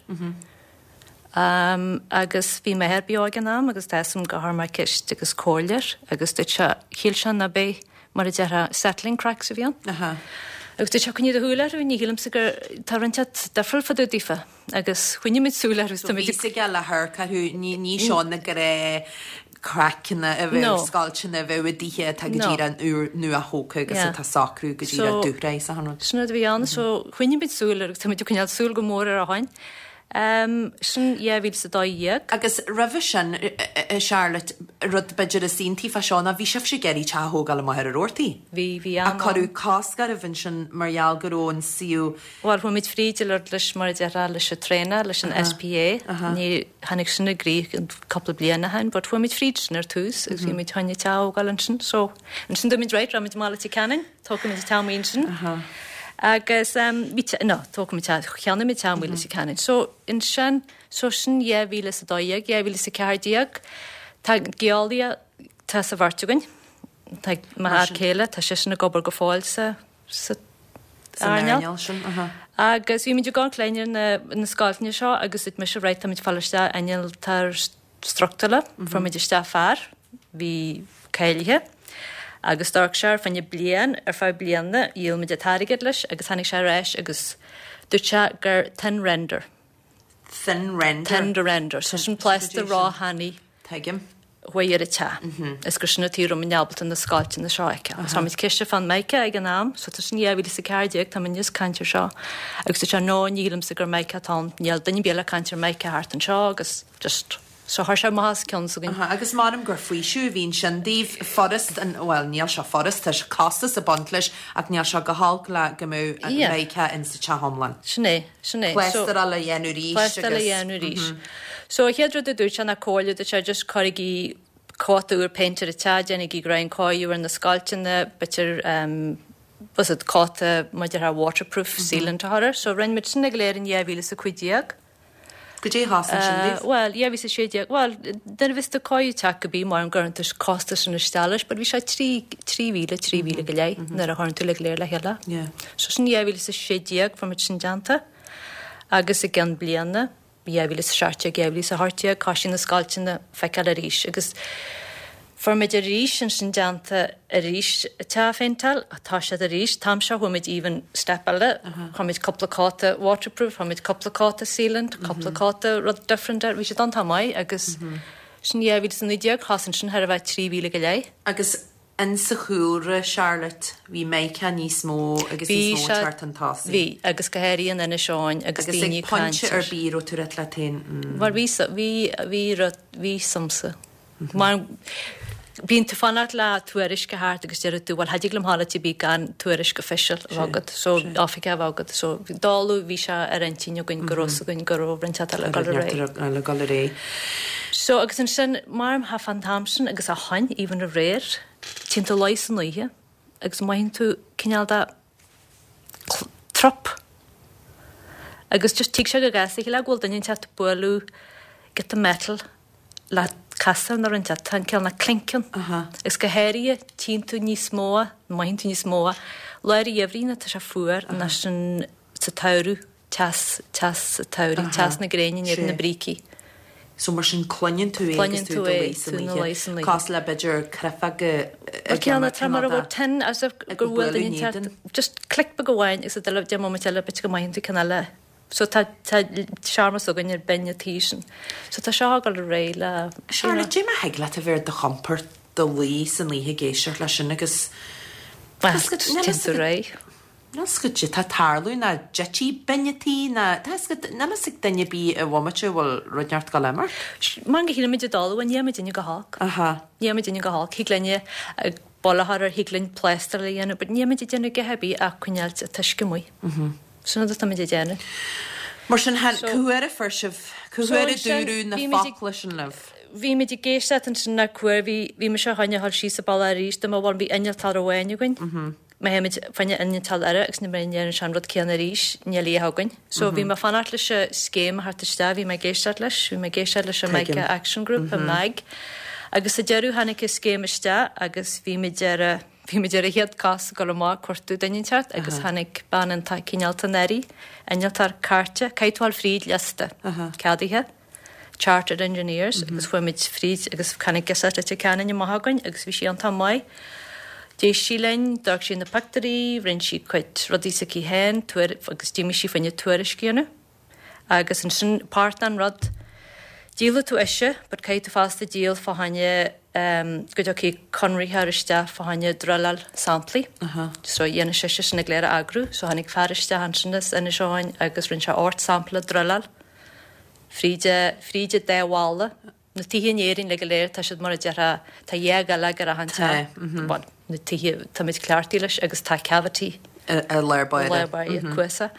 Um, agus bhí m'athair beo ag an am agus tá a fhios agam gur chuir mé ceist agus comhairle air agus dúirt sé shíl sé ná b'é mar a déarfá settling cracks a bhí ann. Aha. Agus dúirt sé coinnigh do shúil orthu, ní shílimse gur tá roinnt difriúil fá dtaobh daofa. Agus choinnigh muid súil orthu So bhí a fhios aige le hamharc orthu, ní ní seo na gnáth craiceanna a bheith No. scoilteanna a bheith i dtithe atá go No. díreach úr nua thógtha agus Yeah. atá socrú go díreach So- dúshraith sa rud. Sin rud a bhí ann, so choinnigh muid súil air agus tá muid ag coinneáil súil go mór ar a shoin. Um, sin dhá mhíle is a dó dhéag. Agus roimhe sin, Charlotte, rud b'fhéidir is iontaí fá seo ná bhí sibhse ag iarraidh teach a thógáil amach ar an Rabhartaigh. Bhí bhí A cuireadh cosc oraibh ansin mar gheall go raibh an suíomh Bhuel, chuaigh muid fríd le leis mar a déarfá leis an traenáil leis an SPA. Ní tháinig sin i gcrích an cúpla bliain ó shin, but chuaigh muid fríd sin ar tús agus bhí muid chun teach a thógáil ansin. So ansin dúirt muid right, raibh muid i mBaile Ceanainn, tógfaidh muid teach amuigh ansin. Agus um, bhí te- no, tógfaidh muid teach, cheannaigh muid teach amuigh Leitir Ceanainn. So ansin, so sin dhá mhíle is a dó dhéag, dhá mhíle is a ceathair déag, tá geolaí tá sa bheirt againn. Tá m'fhear céile, tá seisean ag obair go fóill sa sa san earnáil. earnáil sin. aha. Agus bhí muid ag amharc ar na, na scoilteanna seo agus dúirt mise right, tá muid fáil isteach innealtóir struchtúrach, mm -hmm. fuair muid isteach fear, bhí cáilithe. Agus d'amharc sé ar feadh bliain ar feadh bliana dhíol muid an t-airgead leis agus tháinig sé ar ais agus dúirt sé gur thin render. Thin render. Thin render. So sin plásta róthanaí Tuigim. chuaigh ar an teach. Is gur sin an tuige a raibh muid ábalta na scoilteanna seo a fheiceáil. Tá muid ceiste fan mica ag an am, so tá sin dhá mhíle is a ceathair déag, tá muid níos caint ar seo. Agus dúirt sé no ní shílimse gur mica atá ann. Níl duine ar bith ag caint ar mica thart anseo agus just so chuir sé amach as ceann s'againn. Aha, agus maram gur faoiseamh a bhíonn sin daoibh furast an well níl sé furast tá sé costas ag baint leis ach níl sé go holc le go mbeadh an Yeah. mica in sa teach iomlán. Sin é, sin é. So- Pléastáil a dhéanamh arís Pléastáil a dhéanamh arís. So a chéad rud a dúirt sé ná comhairle dúirt sé just cuirigí cóta úr péinte ar an teach, déanaigí greancáú ar na scoilteanna, b'fhéidir um, was it cóta maidir le waterproof sealant a chur. So rinne muid sin go léir in dhá mhíle is a cúig déag. Goidé thosaigh sin daoibh? Bhuel, dhá mhíle is a sé déag, bhuel, duine bhí tú cáil teach go bí mar an gcuireann tú costas sin isteach leis, but bhí sé trí, trí mhíle, trí mhíle go leith nuair a chuireann tú uilig go léir le chéile. Yeah. So sin dhá mhíle is a sé déag, fuair muid sin déanta agus i gcionn bliana, dhá mhíle is a seacht déag, dhá mhíle is a hocht déag, thosaigh na scoilteanna feiceáil arís agus fuair muid arís ansin déanta arís teach a phéinteáil, tá siad arís, t-am seo chuaigh muid even step eile, chuir muid cúpla cóta waterproof, chuir muid cúpla cóta sealant, cúpla cóta rud different air, bhí siad iontach maith agus sin dhá mhíle is a naoi déag, thosaigh ansin thar a bheith trí mhíle go leith. Agus in sa chúlra, Charlotte, bhí Micah níos mó agus níos mó ag teacht chun tosaigh. Bhí, agus go háirithe in Inis Eoghain agus daoine ag caint. Agus ag pointe ar bith raibh tú ag rá leat féin, mm. Mar bhí, bhí, bhí rud, bhí samsa. Mar bíonn tú fanacht le tuairisc a theacht agus deir tú, bhuel, cha dtig liom dhul áit ar bith gan tuairisc official a bheith agat, so oifigeach a bheith agat. So dála bhí sé ar intinn againn go raibh againn go raibh roinnt eile ag dul ar aghaidh. Eile ag dul ar aghaidh. So agus ansin, mar tha fan t-am sin agus a shoin, even aréir, téann tú luí san oíche agus mothaíonn tú cineál de trup. Agus just tig sé go gasta, shílfeá go bhfuil duine inteacht ag bualadh giota metal le casar nó rud inteacht, tá an cineál na clink ann. Agus go háirithe tchíonn tú níos mó, mothaíonn tú níos mó, lár an gheimhridh nuair atá sé fuar, ná sin sa tsamhradh, teas, teas sa tsamhradh, teas na gréine in éadan na brící. So mar sin cluineann tú é agus tú i do luí san oíche. Cosúil le b'fhéidir creifeog ag Cineál na mar a bhfuil tin as if gur bhuail duine inteacht, just click beag amháin agus deich móimint eile b'fhéidir go mothaíonn tú ceann eile. So tá tá searmanas againn ar binn an tí sin. So tá seo ag dul ar aghaidh le Charlotte, cad é mar a thig leat a bheith ar do chompord i do luí san oíche ag éisteacht leis sin agus Bhuel, téann tú ar aghaidh. Níl 's agat cad tá ag tarlú ná dtitfidh binn an tí ná tá 's agat níl 'fhios ag duine ar bith i bhomaite a bhfuil rud inteacht ag dul imeacht. Mar go shílimid i dtalamh, ní dhéanaimid go holc. Aha. Ní dhéanaimid go holc. Thig linne baile a chur air, thig linn plástráil a dhéanamh, but ní dhéanaimid ag déanamh a dhath ar bith ach coinneáil an t-uisce amuigh. Sin rud atáimid ag déanamh. Mar sin, cá huair a fuair sibh, cá huair a dúradh na focla sin libh? Bhí muid ag éisteacht ansin le cá huair, bhí, bhí mise fá choinne a dhul síos an bealach arís, dá mba bhuel bhí innealtóir amháin againn. Má théimid fá choinne innealtóir eile agus ní ndéanann sé an rud céanna arís, níl a dhath againn. So bhí mé ag fanacht leis an scéim a theacht isteach, bhí mé ag éisteacht leis, bhí mé ag éisteacht leis an Mica Action Group, an MAG. Agus sa deireadh tháinig an scéim isteach agus bhí muid ar a, Bhí muid ar a chéad cos ag dul amach ag cuartú duine inteacht agus tháinig bean iontach cineálta anuraidh, innealtóir cairte, caithfidh tú a dhul fríd liosta ceadaithe, Chartered Engineers, agus fuair muid fríd agus tháinig girseach Leitir Ceanainn amach againn agus bhí sí iontach maith. D'éist sí linn, d'amharc sí na pictiúirí, rinne sí cuid rudaí s'aici féin, agus d'imigh sí fá choinne tuairisc a dhéanamh. Agus ansin páirt den rud, díolfaidh tú ise, but caithfidh tú fosta díol fá choinne go dtiocfaidh conraitheoir isteach fá choinne druileáil samplaí. So dhéanadh sise sin go léir a eagrú. So tháinig fear isteach ansin as Inis Eoghain agus rinne sé ocht sampla druileáil fríd, fríd an dá bhalla. Na tithe in Éirinn uilig go léir, tá siad mar a déarfá, tá dhá dhuilleog ar achan teach. Bhuel, na tithe, táimid cleachtaithe leis agus tá cavity. I lár báire. I lár báire, cuasach.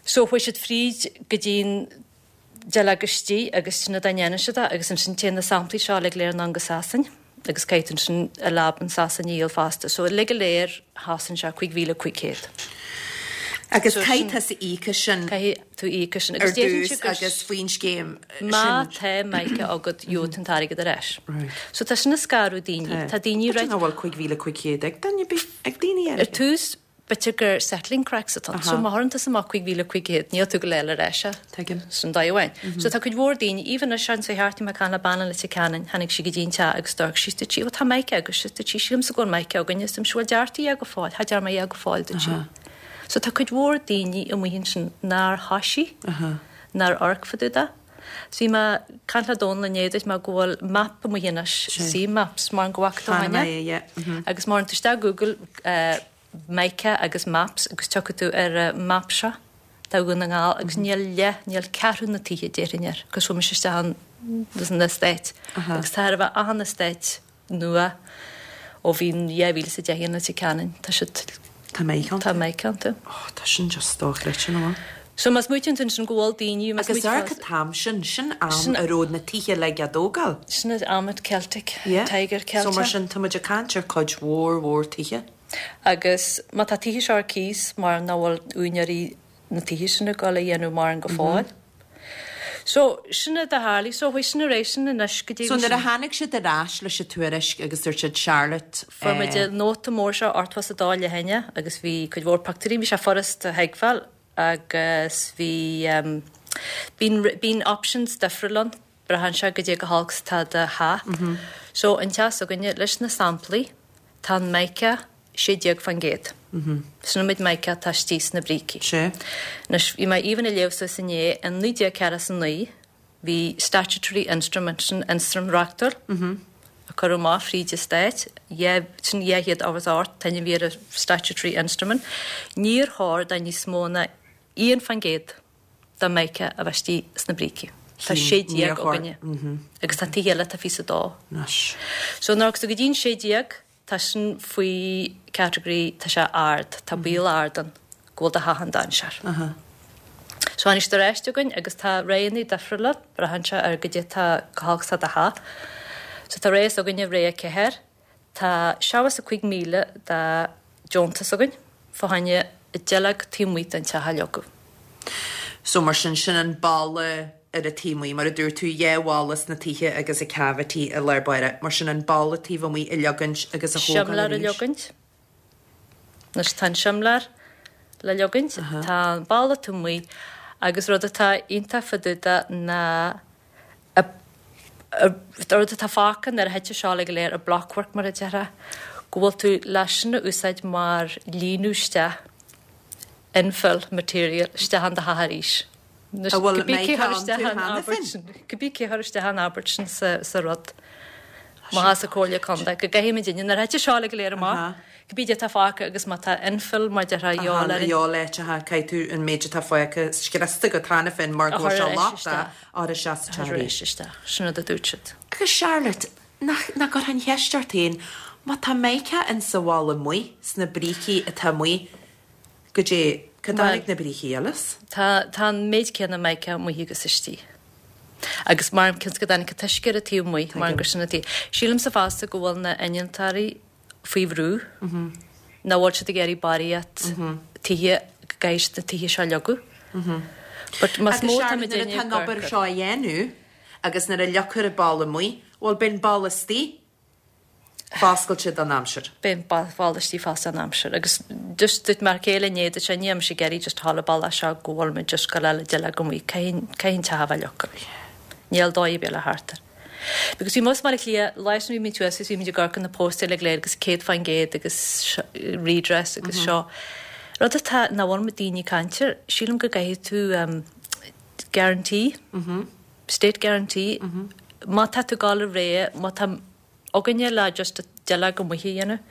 So chuaigh siad fríd go dtí'n duilleog istigh agus sin an dóigh a ndéanann siad é agus ansin téann na samplaí seo uilig go léir anonn go Sasain agus caithfidh tú ansin i lab in Sasain a dhíol fosta. So uilig go léir chosain sé cúig mhíle cúig chéad. Agus caithfidh tusa íoc as sin. Caithfidh tú íoc as sin. Ar dtús agus faoin scéim sin. Má tá Mica agat gheobhaidh tú an t-airgead ar ais. So tá sin ag scaradh daoine. Tá daoine B'fhéidir nach bhfuil cúig mhíle cúig chéad ag duine, ag daoine eile. Ar tús b'fhéidir gur settling cracks atá ann. So má chuireann tusa amach cúig mhíle cúig chéad, níl tú ag dul a fháil ar ais é. Tuigim. Sin dóigh amháin. So tá cuid mhór daoine, even anois anso thart, bhí mé ag caint le bean i Leitir Ceanainn, tháinig sí go dtí an teach agus d'amharc sí, dúirt sí, 'Bhuel tá Mica agaibhse, dúirt sí, sílimse go bhfuil Mica againne, is dúirt mise, 'Bhuel deartaigh é go fóill, cha dearna mé é go fóill, dúirt sí. So tá cuid mhór daoine amuigh ansin nár thoisigh, nár amharc fá dtaobh de. So bhí mé ag caint le Dónal inné, dúirt mé go bhfuil map amuigh anois, C-Maps, mar go bhfaca tú Chonaic cheana. mé é, yeah. Agus má théann tú isteach Google, Mica agus Maps agus tiocfaidh tú ar an map seo de Dhún na nGall agus níl leath, níl ceathrú na tithe déarfainn air agus chuaigh mise isteach ann san estate agus tá chóir a bheith achan estate nua ó bhí dhá mhíle is a deich i Leitir Ceanainn, tá siad, Tá Mica iontu. Tá Mica iontu. Oh, tá sin just dochreidte, nach bhfuil? So má smaoitíonn tú ansin go bhfuil daoine, má Agus smaoitíonn amharc an t-am sin, sin am a raibh na tithe uilig á dtógáil. Sin an am at Celtic, Yeah. Tiger So mar Celtic. sin tá muid ag caint ar cuid mhór mhór tithe. Agus má tá tithe seo ar cíos mar nach bhfuil úinéirí na tithe sin ag dul a dhéanamh mórán go fóill. So, sin a tharlaigh, so chuaigh sin ar aghaidh sin anois go dtí So nuair a tháinig siad ar ais leis an tuairisc agus dúirt siad Charlotte Fuair muid eh, nóta mór seo ochtó is a dá leathanach agus bhí cuid mhór pictiúirí, bhí sé furast a thuigbheáil agus bhí um, bíonn bíonn options difriúil ann, braitheann sé goidé chomh holc is atá do theach. Mm -hmm. So an teach s'againne leis na samplaí tá an mica sé déag faoin gcéad. Mm -hmm. Sin an méid mica atá istigh sna brící. Sé. Anois bhí mé even ag léamh suas inné in naoi déag ceathracha is a naoi bhí statutory instrument sin ionstraim reachtúil mm -hmm. a cuireadh amach fríd an stát, sin dhá chéad ochtó is a hocht an t-ainm a bhí ar an statutory instrument. Níor chóir do níos mó ná aon faoin gcéad de mica a bheith istigh sna brící. Tá sé déag againne. Agus tá tithe eile atá fiche is a dó. Anois. So nuair agus go dtí'n sé déag tá sin faoi category tá sé ard, tá baol ard ann go bhfuil do theach in dainséar. So tháinig siad ar ais chugainn agus tá roghanna difriúla, braitheann sé ar goidé tá chomh holc is atá do theach. So tá rogha s'againne rogha ceathair, tá seachtó is a cúig míle de deontas againn fá choinne duilleog taobh amuigh den teach a leagadh. So mar sin, sin an balla ar an taobh amuigh, mar a dúirt tú, dhá bhalla sna tithe agus an cavity i lár báire. Mar sin an balla taobh amuigh a leagaint agus a thógáil Simléar a arís. leagaint. Anois tá an simléar le leagaint, tá an balla taobh amuigh agus rud atá iontach fá dtaobh de ná a, a, rud atá fágtha nuair a thit seo uilig go léir, an blockwork mar a déarfá, go bhfuil tú leis sin a úsáid mar líonadh isteach infill material isteach in do theach arís. A bhfuil mica iontu cheana féin? Cibé cé chuir isteach an abairt sin sa, sa rud. Má tha sa Comhairle Contae, go gcaithfimid duine nuair a thit seo uilig go léir amach, cibé cad é atá fágtha agus má tá infill mar déarfá a dhíobháil ar an. Dhíobháil áiteacha, caithfidh tú an méid atá fágtha scriosta agat cheana féin mar go bhfuil sé lochtach a chur isteach sa A teach chur arís. isteach, sin rud a dúirt siad. Agus Charlotte, nach, nach gcuirfeá an cheist ort féin, má tá mica in sa bhalla amuigh, sna brící atá amuigh, goidé, cá dtáinig na brící eile as? Tá, tá an méid céanna mica amuigh agus istigh. Agus mar cionn is go dtáinig an t-uisce ar an taobh amuigh, mar gur sin atá. Sílimse fosta go bhfuil na innealtóirí faoi bhrú, nach bhfuil siad ag iarraidh barraíocht tithe, go gcaithfidh siad na tithe seo a leagadh. But más Agus mó atá Charlotte, muid nuair atá ag an obair amharc seo á dhéanamh agus nuair a leagfar an balla amuigh, bhuel beidh an balla istigh foscailte don aimsir. Beidh an balla istigh foscailte don aimsir. Agus just dúirt m'fhear céile inné, dúirt sé, níl mise ag iarraidh just thall an balla seo go bhfuil muid just go le duilleog amuigh, caithfidh caithfidh an teach a bheith leagtha. Níl dóigh ar bith le thart air. Because bhí mus mar a chlia, lá sin bhí muid thuas agus bhí muid ag amharc ar na póstaeir uilig go léir agus céad faoin gcéad agus redress agus seo. Rud atá nach bhfuil muid daoine ag caint air, sílim go gcaithfidh tú um, guarantee, state guarantee, má tá tú ag gabháil ar aghaidh, má tá againne le just duilleog amuigh a dhéanamh,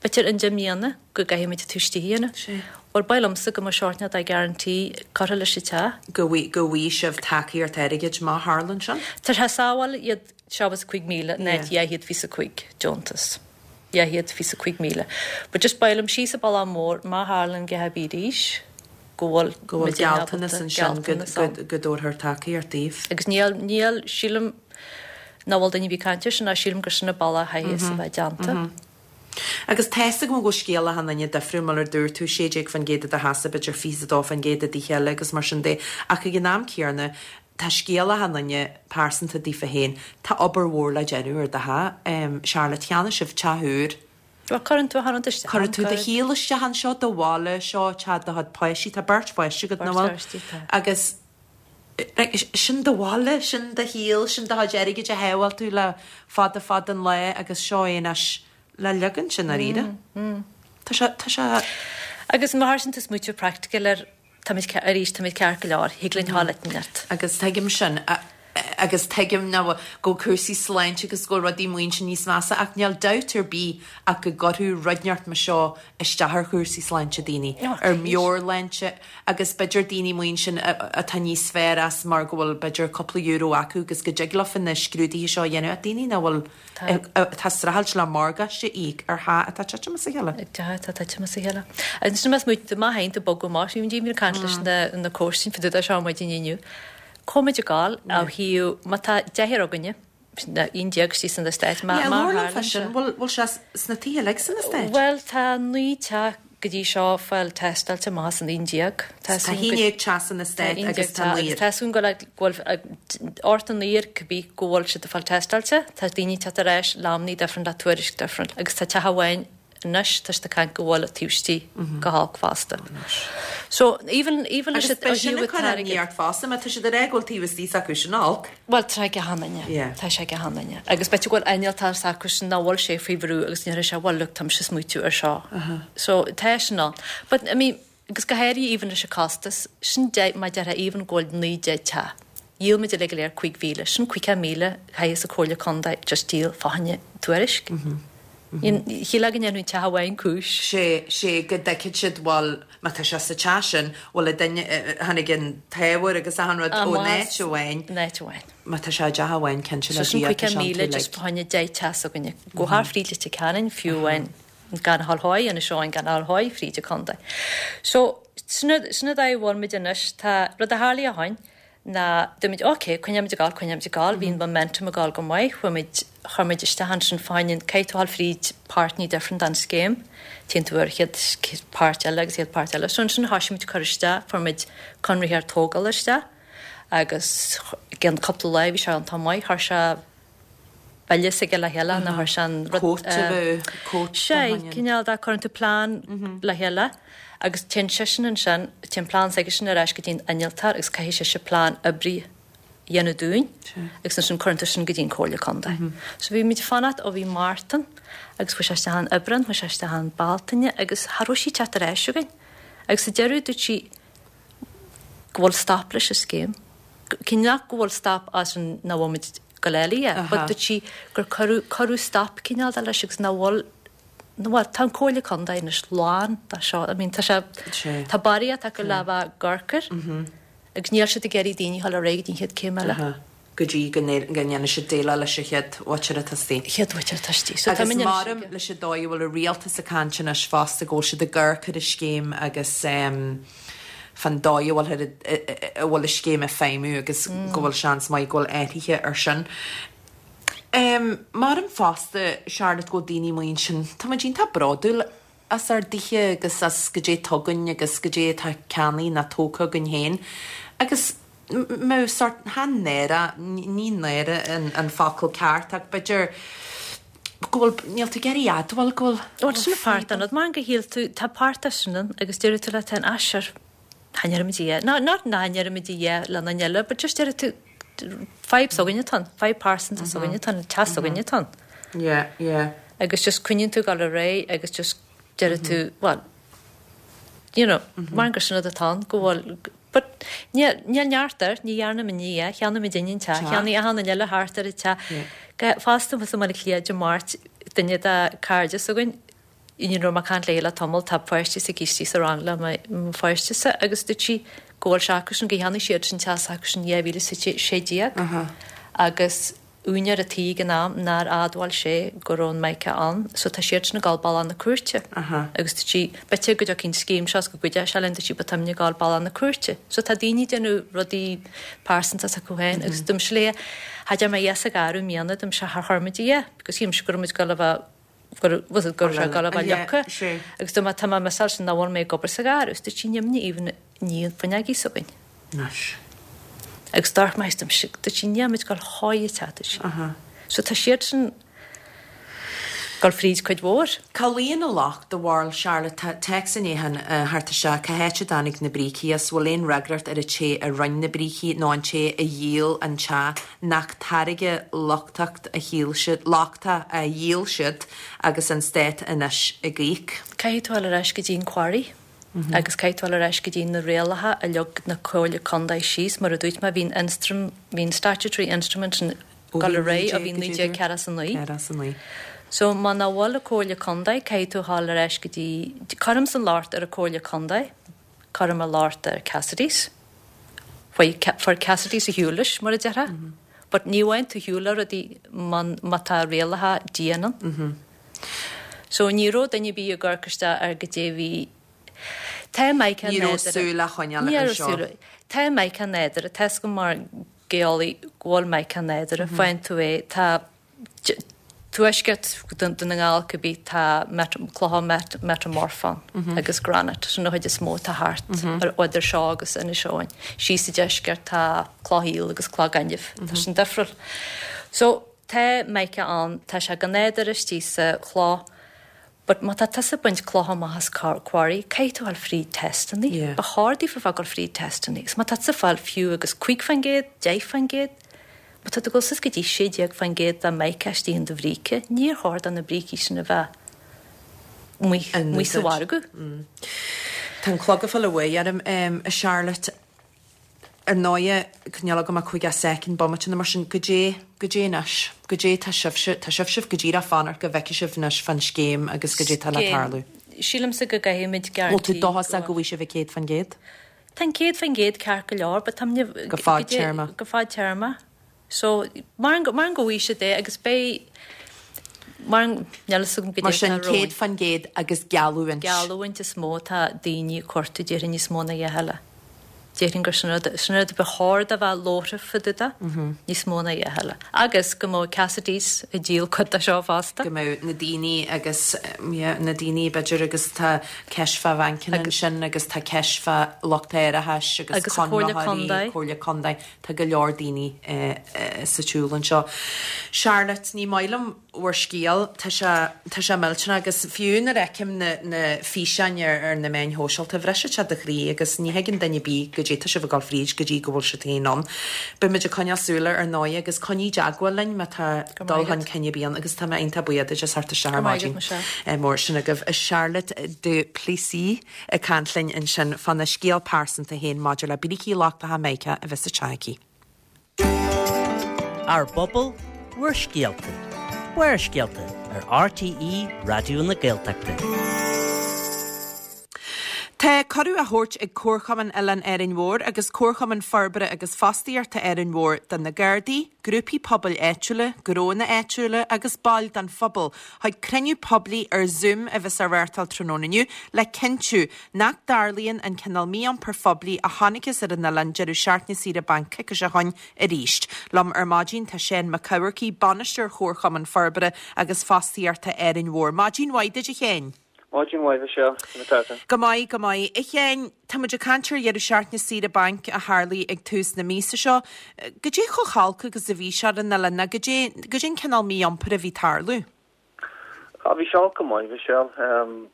b'fhéidir i ndeich mbliana go gcaithfidh muid tú istigh a dhéanamh. Sé. Bhuel, ba mhaith liomsa go mbeadh sórt de guarantee curtha leis an teach. Go bhfui- go bhfaighidh sibh tacaíocht airgid má tharlaíonn sin? Tá sé sábháil iad seachtó is a cúig míle in áit dhá chéad fiche is a cúig deontas. Dhá chéad fiche is a cúig míle. But just ba mhaith liom síos an bealach mór má tharlaíonn go habí arís go bhfuil Go bhfuil muid in gealltanas ábalta ansin go- gealltanas ann. go- go dtabharfar tacaíocht daoibh. Agus níl, níl, sílim nach bhfuil duine ar bith ag caint air sin, ná sílim gur sin an bealach a chaithfidh a bheith déanta. Agus tá a fhios agam go bhfuil scéal achan duine difriúil mar a dúirt tú sé déag faoin gcéad i do theachsa, b'fhéidir fiche a dó faoin gcéad i dtithe eile agus mar sin de. Ach ag an am céanna, tá scéal achan duine pearsanta daofa féin. Tá obair mhór le déanamh ar do theach. Um, Charlotte, cheannaigh sibh teach úr. Bhuel, cuireann tú achan rud isteach. Cuireann tú do shaol isteach anseo, do bhaile seo, teach do chuid páistí, tá beirt pháistí agat, nach Beirt bhfuil? pháistí, tá. Agus like, sin do bhaile, sin do shaol, sin do chuid airgid a shábháil tú le fada fada an lá agus seo é anois le leagan sin dáiríre. Tá sé, tá sé, Agus má tharlaíonn tú smaoitiú practical ar táimid ce- arís táimid ceart go leor, thig linn thall leat. Agus tuigim sin a- agus tuigim ná go cúrsaí sláinte agus go rudaí muinte níos measa ach níl dabht ar bith ach go gcuirfeadh rud inteacht mar seo isteach ar chúrsaí sláinte daoine Oh, ar meabhairshláinte agus b'fhéidir daoine muin sin atá níos fearr as mar go bhfuil b'fhéidir cúpla euro acu agus go dtig leofa na scrúduithe seo a dhéanamh ach daoine nach bhfuil atá ag streachailt le morgáiste a íoc ar theach atá titim as a chéile. Tá tá tá mas a chéile. Agus sin mas muid má haon tú bogadh amach, bhí muid ag caint leis na na comhairsain fá dtaobh seo maidin inniu. Cá mbeimid ag gabháil ó thaobh má tá deichniúr againne, na aon déag istigh san eastát má Yeah, má labhair liom fá tharlaíonn sin sé. bhfuil bhfuil sé sna tithe uilig san eastát? Well tá naoi teach go dtí seo fáil tástáilte amach as an aon déag. Tá haon déag teach san eastát agus tá naonúr. Tá súil go bhfuil ort an naonúr cibé go bhfuil siad ag fáil tástáilte, tá daoine ag teacht ar ais le hamannaí difriúil le tuairisc difriúil agus tá teach amháin anois tá siad ag caint go bhfuil taobh istigh go holc fosta. So even even leis Agus beidh sin ag cur imní ort fosta má tá siad ag rá go bhfuil taobh istigh s'acu sin olc. Bhuel tá ag achan duine. Yeah. Tá sé ag achan duine. Agus b'fhéidir go bhfuil innealtóir s'acu sin nach bhfuil sé faoi bhrú agus ní sé bhfuil look táimse ag smaoitiú ar seo. So tá sin ann. But I mean agus go háirithe even leis an costas sin de má deirtear even go bhfuil naoi deich teach. Dhíol muid uilig go léir cúig mhíle, sin caoga míle chaith an Chomhairle Contae just díol fá choinne tuairisc. Shílfeá go ndéanfaidh teach amháin cúis. Sé sé go dtuigfidh siad bhuel má tá sé sa teach sin bhfuil a duine tháinig an t-ábhar agus achan rud ó áit amháin. Áit amháin. Má tá sé i dteach amháin cinnte So le sin Dia caoga tá sé míle an just fá choinne deich teach s'againne. Go thar fríd Leitir Ceanainn fiú amháin gan a dhul thuaidh Inis Eoghain gan a dhul thuaidh fríd an contae. So sin sin an dóigh a bhfuil muid anois tá rud a tharlaigh ó shin ná dúirt muid ok coinneoimid ag gabháil coinneoimid ag gabháil bhí an momentum ag gabháil go maith chuaigh muid chuir muid isteach ansin fá choinne caithfidh tú dhul fríd páirteanna difriúil den scéim téann tú ar chéad páirt eile agus chéad páirt eile so ansin thosaigh muid cur isteach fuair muid conraitheoir tógála isteach agus gceann cúpla lá bhí sé an t maith chuir sé bille s'aige le chéile na chuir sé an rud, Quote eh, bheith quote Sé cineál de cuireann tú plean le chéile agus téann sé sin ansin téann plean s'aige sin ar ais go dtí an innealtóir agus caithfidh sé se plean oibre a dhéanamh dúinn agus ansin cuireann tú sin go dtí an Comhairle Contae. So bhí muid fanacht ó bhí Mártan agus chuaigh sé isteach an Aibreán, chuaigh sé isteach an Bealtaine agus cha raibh sí teacht ar ais againn. Agus sa deireadh dúirt sí go bhfuil stop leis an scéim. Cinn nach go bhfuil stop as an nach bhfuil muid go léile, Aha. but dúirt sí gur cuireadh cuireadh stop cineál de leis agus nach bhfuil nó bhfuil tá an Comhairle Contae anois lán dá seo. I mean, tá sé Sé. tá barraíocht acu le bheith gorcar agus níl siad ag iarraidh daoine dhul ar aghaidh go dtí an chéad céim eile. Aha. Go dtí go ndéanfaidh siad déileáil leis an chéad mhuintir atá istigh. Chéad mhuintir atá istigh. So tá Agus muid anois maram ag- leis an dóigh a bhfuil an rialtas ag caint anois fosta go bhfuil siad ag amharc ar an scéim agus um, fan dóigh a bhfuil a bhfuil an scéim ag feidhmiú agus go bhfuil seans maith go bhfuil athruithe ar sin. Um, Maram fosta Charlotte go daoine muin sin Tá muid iontach bródúil as ár dtithe agus as go dté tugainn agus go dté atá ceannaithe nó tógtha againn féin. Agus mé sort han náire ní náire an, an focal ceart ach b'fhéidir go bhfuil níl tú ag iarraidh admháil go bhfuil Bhuel sin páirt an mar go shíl tú tá páirt sin agus deireadh tú le ten asir Tá dí ná ná ná le an eile, but just deireadh tú fadhb s'againne atá ann, fadhb pearsanta s'againne atá ann, teach s'againne atá ann. Yeah, yeah. Agus just coinníonn tú gal ré agus just deireadh tú well you know, mar gur sin atá ann go bhfuil but níl níl neart air, ní dhearna muid ní é, cheannaigh muid an teach, cheannaigh achan duine eile thart ar an teach. Fosta was mar Cliath de Máirt duine de cairde s'againn in raibh mé ag caint léi le tamall tá páistí sa gcístí sa rang le mo pháiste sa agus dúirt sí go bhfuil sé acu sin go cheannaigh siad sin teach acu sin dhá mhíle sé déag agus úinéir an tí ag an am nár admháil sé go raibh an mica ann, so tá siad sin ag gabháil bealach na cúirte. Agus dúirt sí b'fhéidir go dtiocfaidh an scéim seo go gcuideoidh sé linn dúirt sí but táimid ag gabháil bealach na cúirte. So tá daoine ag déanamh rudaí pearsanta s'acu féin agus dúirt mise léi cha deir mé yes ag athrú miana dúirt mise char chuir muid é, because shíl mise go raibh muid ag gabháil a bheith gur was it gur sé gal a bheith leaca agus dúirt mé tá mé measáil sin nach bhfuil mé ag obair sa ghearradh, dúirt sí níl even ní an fuinneogaí s'againn. Anois. Agus dúirt mé dúirt sí dúirt sí níl muid ag gabháil chuig teach dúirt sí. So tá siad sin ag gabháil fríd cuid mhór. Cá luíonn an locht do bharúil Charlotte tá téacs inné thart isteach cá háit a dtáinig na brící as bhfuil aon fhreagracht ar an té a rinne na brící nó an té a dhíol an teach nach táirge lochtach a shíl siad lochtach a dhíol siad agus an stát anois ag íoc. Caithfidh tú dul ar ais go dtí an quarry agus caithfidh tú dul ar ais go dtí na rialacha a leag na Comhairle Contae síos mar a dúirt mé bhí'n instrum bhí'n statutory instrument sin gal ré a bhí naoi déag ceathracha is a naoi. Ceathracha is a naoi. So má ná bhfuil an Comhairle Contae caithfidh tú dul ar ais go dtí cuirim an locht ar an Comhairle Contae, cuirim an locht ar Cassidy's. Faoi for Cassidy's a shiúlais mar a déarfá. But ní bhain tú shiúla rudaí má tá rialacha dian ann. So ní raibh duine bí a gcur ar go dté bhí Tá mica Ní raibh súil a choinneáil Ní ar raibh seo. súil. Tá mica nádúrtha, tá go mar geolaí go bhfuil mica nádúrtha, faigheann tú é tá tuaisceart Dhún na nGall cibé tá clocha meiteamorfach ann agus granite, sin an chuid is mó atá thart ar idir seo agus Inis Eoghain. Síos sa deisceart tá cloch aoil agus cloch gainimh, tá sin difriúil. So tá mica ann, tá sé go nádúrtha istigh sa chloch, but má tá tusa ag baint clocha amach as quarry, caithfidh tú fháil fríd testanna. Ba chóir daofa bheith ag dul fríd testanna. Agus má tá tusa ag fáil fiú agus cúig faoin gcéad, deich faoin gcéad, má tá tú ag dul suas go dtí sé déag faoin gcéad de mica istigh in do bhríce, níor chóir do na brící sin a bheith amuigh amuigh sa mhargadh. Tá an clog ag fáil uaidh orm, a Charlotte. Ar ndóighe, níl agam ach caoga soicind, bomaite nó mar sin, goidé, goidé anois, goidé tá sibhse, tá sibhse go díreach fanacht go bhfeicfidh sibh anois fán scéim agus goidé tá le tarlú. Sílimse go gcaithfimid Bhfuil tú dóchasach go bhfaighidh sibh an céad faoin gcéad? Tá an céad faoin gcéad ceart go leor, but táim Go fadtéarma. Go fadtéarma. So, mar go bhfaighidh siad é agus beidh, mar níl fhios agam Mar sin, céad faoin gcéad agus geallúint. Geallúint is mó atá daoine ag cuartú, déarfainn níos mó ná a dhath eile. Déarfainn gur sin rud, sin rud ba chóir do bheith labhartha fá dtaobh de, níos mó ná a dhath eile. Agus go mbeadh Cassidy's ag díol cuid de seo fosta. Go mbeadh na daoine agus, yeah, na daoine b'fhéidir agus tá ceist fá bhancanna ansin agus tá ceist fá lucht árachais agus Agus an Chomhairle conraitheoirí, Contae. Comhairle Contae, tá go leor daoine sa tsiúl anseo. Charlotte, ní maith liom bhur scéal, tá sé, tá sé millteanach agus fiú nuair a fheicim na, na físeáin ar, ar na meáin shóisialta, bhriseann sé do chroí agus ní thuigeann duine ar bith goidé tá sibh ag dul fríd go dtí go bhfuil siad féin ann. Beidh muid ag coinneáil súil air ar ndóigh agus coinnigh i dteagmháil linn má tá Go dul maith chun agat. cinn ar bith ann agus tá mé iontach buíoch duit as theacht isteach ar Go maith agat, maidin. Michelle. Mór sin agaibh. Charlotte du Plessis ag caint linn ansin fána scéal pearsanta féin maidir le brící lochtacha mica a bheith sa teach aici. Ár bpobal, bhur scéalta. Barrscéalta ar R T E Raidió na Gaeltachta. Tá cuireadh á thabhairt ag Comharchumann Oileán Árainn Mhór agus Comharchumann Forbartha agus Fostaíochta Árainn Mhór do na Gardaí, grúpaí pobail áitiúla, gnónna áitiúla agus baill den phobal chuig cruinniú poiblí ar Zoom a bheas á reáchtáil tráthnóna inniu le cinntiú nach dtarlaíonn an cineál mí-iompair phoiblí a chonacthas ar an oileán deireadh seachtaine saoire bainc coicís ó shin arís. Liom ar maidin tá Seán Mac Eamharcaigh, bainisteoir Chomharchumann Forbartha agus Fostaíochta Árainn Mhór. Maidin mhaith duit a Sheáin. Maidin mhaith Michelle, conas tá? Go maith, go maith. A Sheáin, tá muid ag caint ar dheireadh seachtaine saoire bainc a tharlaigh ag tús na míosa seo. Goidé chomh holc agus a bhí sé ar an oileán, goidé goidé an cineál mí-iompair a bhí ag tarlú. Ah, bhí sé go maith Michelle. Um,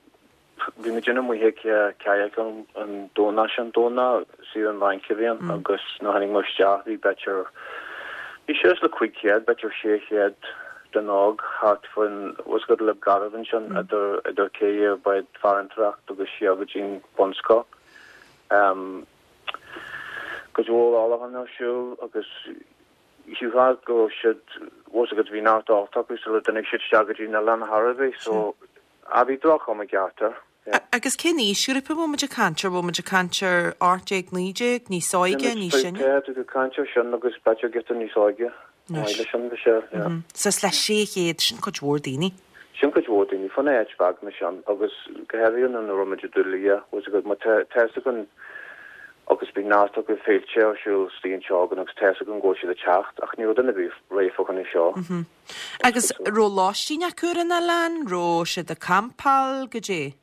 bhí muid amuigh ag kayak an an Domhnach sin Domhnach saoire an bhainc a bhí ann agus nuair a tháinig muid isteach bhí b'fhéidir bhí suas le cúig chéad b'fhéidir sé chéad den óg thart faoin was go le garbh ansin idir idir cé bád farantóireacht agus siar go dtí'n bunscoil. Um, go bhfuil álahan ar siúl agus siúá go siad was go bhí neart acu sula dtáinig siad isteach go dtí na oileán Harbí so a bhí droch-chuma ceart air. A- Agus cén aoisghrúpa bhfuil muid ag caint ar bhfuil muid ag caint ar ocht déag naoi déag níos óige níos sine? Tá tú caint ar sin agus b'fhéidir giota níos óige. Anois. leis sin sé Suas le sé chéad sin cuid mhór daoine. Sin cuid mhór daoine fan áit bheag mar sin agus go háirithe an raibh muid dúlia was go má tá an agus bhí neart acu féilte ar siúl stíon seagan agus tá an go siad ag teacht ach ní raibh duine bhí réidh fá choinne seo. Agus raibh lóistín acu ar an oileán, raibh siad ag campáil goidé.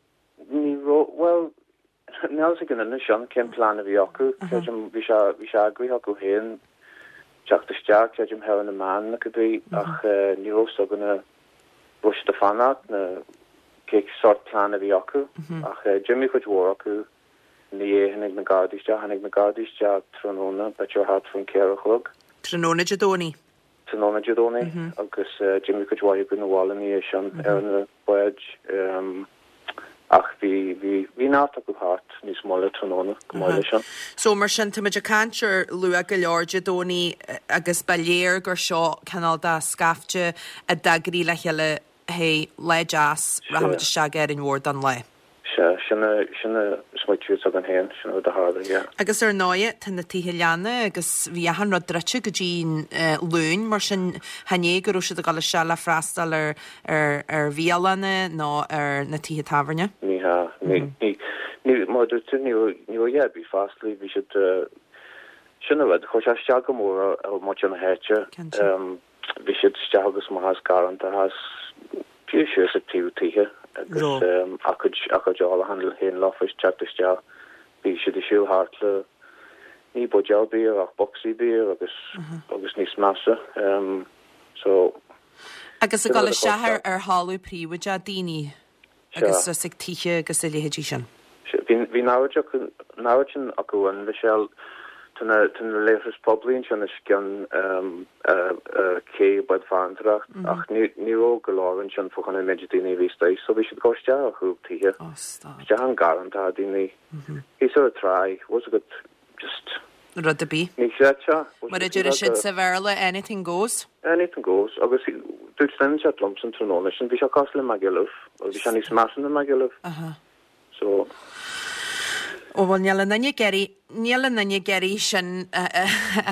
Ní raibh well níl a gan sin cén plean a bhí acu Creidim bhí sé bhí sé eagraithe acu féin teacht isteach creidim thar na meáin na cibé ach eh, ní raibh a fhios againn raibh siad ag fanacht na cé sort plean a bhí acu ach eh, d'imigh cuid mhór acu ní tháinig na Gardaí isteach tháinig na Gardaí isteach tráthnóna b'fhéidir thart faoin ceithre a chlog Tráthnóna Dé Domhnaigh. tráthnóna Dé Domhnaigh agus eh, d'imigh cuid mhaith acu na bhaile ní sin ar na báid um, ach bhí bhí bhí neart acu thart níos moille tráthnóna go maith leis sin. So mar sin tá muid ag caint ar luath go leor Dé Domhnaigh eh, agus ba léir gur seo cineál de scaifte a d'eagraigh le chéile hé lá deas rachaimid isteach ar an mhór don lá. Se sin sin smaoitiú againn féin sin rud a tharla yeah. Agus ar ndóigh tá na tithe leanna agus bhí achan rud druidte go dtí'n uh, Luan mar sin chan é go raibh siad ag dul isteach le freastal ar ar ar bhialanna nó ar na tithe tábhairne. Ní ha ní ní ní mar dúirt tú ní ní raibh bhí fáslaí bhí siad eh, sin a rud chuir sé isteach go mór ar muintir na háite. Cinnte. Um, Bhí siad isteach agus amach as garrantacha is fiú síos ag taobh tithe agus a gcuid a gcuid ólacháin féin leofa ag teacht isteach. Bhí siad ag siúl thart le ní buidéal beer ach bocsaí beer agus agus níos measa. So Agus ag dul isteach ar ar thalamh príobháideach daoine agus is ag tithe agus a leithéidí sin. Bhí bhí an oiread acu an oiread sin acu ann Michelle Tá na tá na leithris poiblí ansin os cionn cé bád farantóireacht ach ní ní raibh go leor ansin fá choinne an méid daoine a bhí istigh so bhí siad ag dul isteach ar chúl tithe. Isteach i ngarrantacha daoine. Thíos ar an tráigh, bhfuil fhios agat just Rud ar bith. Ní chreidfeá. Mar a deir siad sa Bhéarla, anything goes. Anything goes agus dúirt duine inteacht liomsa an tráthnóna sin bhí sé cosúil le Magaluf agus bhí sé níos measa ná Magaluf. So. Ó bhuel níl aon duine ag iarraidh, níl aon duine ag iarraidh sin a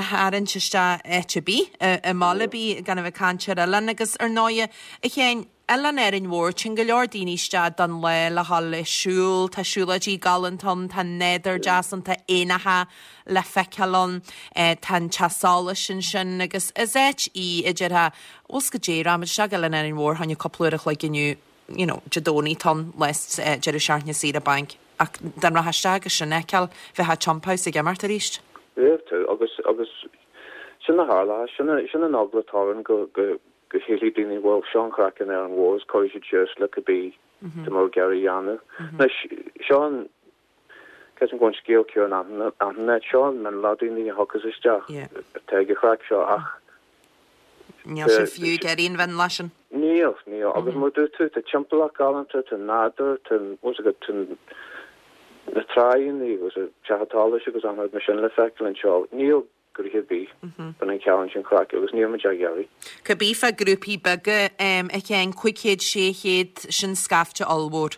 tharraingt isteach áit ar bith, i mbaile ar bith gan a bheith ag caint ar oileán agus ar ndóighe, a Sheáin, Oileán Árainn Mhór, téann go leor daoine isteach don lá le dhul ag siúl, tá siúlóidí galánta ann, tá nádúr deas ann, tá éanacha le feiceáil ann, tá an teach solais ansin agus is áit í a déarfá, bhfuil 's goidé, rachaimid isteach go Oileán Árainn Mhór, fá choinne cúpla uair a chloig inniu, you know, Dé Domhnaigh tá an lá deireadh seachtaine saoire bainc ach dá rachfá isteach agus sin a fheiceáil, bheifeá ag Chump House ag imeacht arís. Bheadh tú agus agus sin a tharla, sin sin an eagla atá orainn go go go sílfidh daoine bhuel seo an chraic in Árainn Mhór is cuirfidh siad suas le cibé tá muid ag iarraidh a dhéanamh. Anois seo an creidim go bhfuil an scéal céanna achan áit, seo an mionlach daoine a thiocfas isteach atá ag an chraic seo ach Níl sé fiú ag iarraidh an mhionlach sin. Níl, níl. Agus mar a dúirt tú, tá timpeallacht galánta, tá nádúr, tá, bhfuil fhios agat, tá na tráigheanna agus an teach an tsolais agus achan rud mar sin le feiceáil anseo. Níl gnoithe ar bith bíonn an ceann sin craic agus níl muid á iarraidh. Cibé fá grúpaí beaga, a Sheáin, cúig chéad, sé chéad, sin scaifte ollmhór.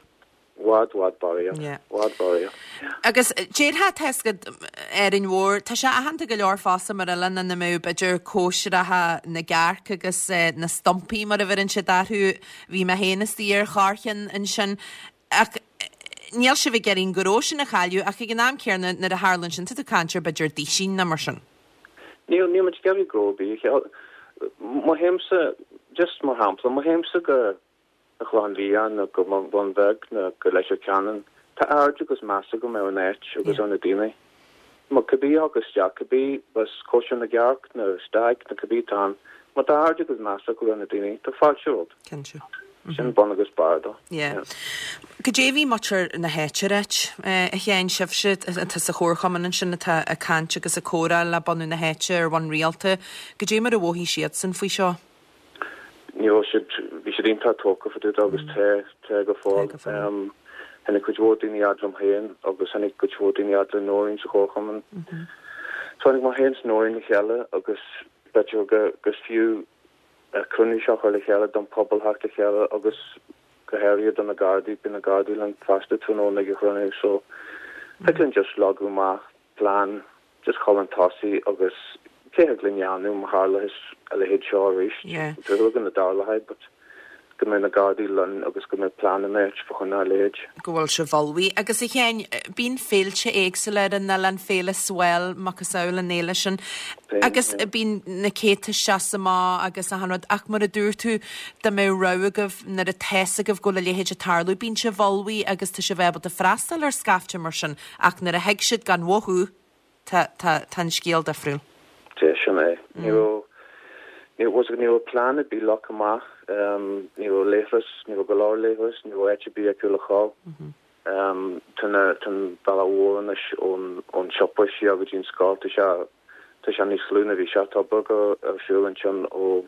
Bhfad, bhfad barraíocht. Yeah. Bhfad barraíocht. Yeah. Agus déarfá tá fhios agat Árainn Mhór, tá sé aitheanta go leor fosta mar oileán ina mbeadh b'fhéidir cóisireacha na gcearc agus na stumpaí mar a bheireann siad orthu. Bhí mé féin istigh ar chorrcheann ansin. Ach níl sibh ag iarraidh an gnó sin a chailleadh ach ag an am céanna nuair a tharlaíonn sin tá tú ag caint ar b'fhéidir duisín nó mar sin. Níl, níl muid ag iarraidh gnó ar bith a chailleadh. Má théimse, just mar shampla, má théimse go an Chlochán Liath nó go Bun Bheag nó go Leitir Ceanainn, tá aird agus meas agam ar an áit agus ar na daoine. Má cibé a thiocfas isteach, cibé bas cóisir na gcearc nó stag nó cibé atá ann, má tá aird agus meas acu ar na daoine, tá fáilte romhat. Cinnte. Sin bun agus barr dó. Yeah. Goidé a bhí muintir na háite ag ráit, a Sheáin, sibhse atá sa chomharchumann ansin atá ag caint agus ag comhrá le bunadh na háite ar bhonn rialta, goidé mar a mhothaigh siadsan faoi seo? Ní raibh siad, bhí siad iontach tógtha fá dtaobh de agus tá, tá go fóill. Tháinig cuid mhór daoine fhad liom féin agus tháinig cuid mhór daoine fhad le Nóirín sa chomharchumann. So tháinig mé féin is Nóirín le chéile agus b'fhéidir go, gur fiú cruinniú seo a chur le chéile don pobal theacht le chéile agus go háirithe do na Gardaí, bíonn na Gardaí linn fosta tráthnóna ag an chruinniú so thig linn just leagadh amach plean just chun chun tosaigh agus cé thig linn dhéanamh má tharlaíos a leithéid seo arís. Yeah. Dúil go dtarlóidh but go mbeidh na Gardaí linn agus go mbeidh plean in áit fá choinne a leithéid. Go bhfuil sibh ullmhaithe. Agus a Sheáin, bíonn féilte éagsúla ar an oileán, Féile Swell, macasamhail an fhéile sin, agus bíonn na céadta isteach is amach agus achan rud, ach mar a dúirt tú, dá mbeadh rogha agaibh nuair atá fhios agaibh go bhfuil a leithéid ag tarlú, bíonn sibh ullmhaithe agus tá sibh ábalta freastal ar scaifte mar sin, ach nuair a thig siad gan mhothú, tá, tá, tá an scéal difriúil. Sea, sin é. Ní raibh, ní raibh, ní raibh plean ar bith leagtha amach, ní raibh leithreas, ní raibh go leor leithreas, ní raibh áit ar bith acu le dhul. Tá na, tá an bealach mhór anois ón, ón siopa siar go dtí an scoil, tá sé, tá sé níos lú ná bhí sé, tá obair ar siúl ansin ó,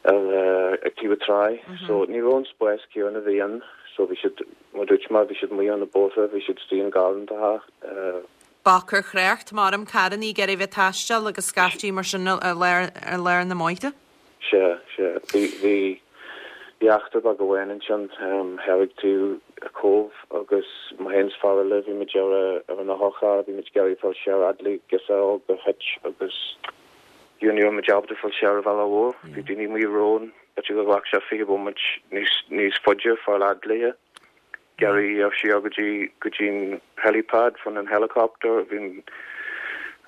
ar, ag taobh an trá. So ní raibh an spás céanna a bhí ann, so bhí siad, mar dúirt mé, bhí siad amuigh ar na bóithre, bhí siad istigh i ngarrantacha, Bac ar thrácht, maram, carrannaí ag iarraidh bheith ag taisteal agus scaiftí mar sin i lár, i lár na mbóithre. Sea, sea. Bhí, bhí, bhí eachtra beag amháin ansin, thoir ag taobh an Chóibh agus mé féin is fear eile, bhí muid ar a, ar an otharcharr, bhí muid ag iarraidh fáil siar fhad le girseach óg a thit agus you know, ní raibh muid ábalta fáil siar an bhealach mhór. Bhí daoine amuigh romhainn, b'fhéidir gur ghlac sé fiche bomaite níos, níos faide fáil fhad léi. Iarraidh siar go dtí go dtí an helipad fá choinne an helicopter bhí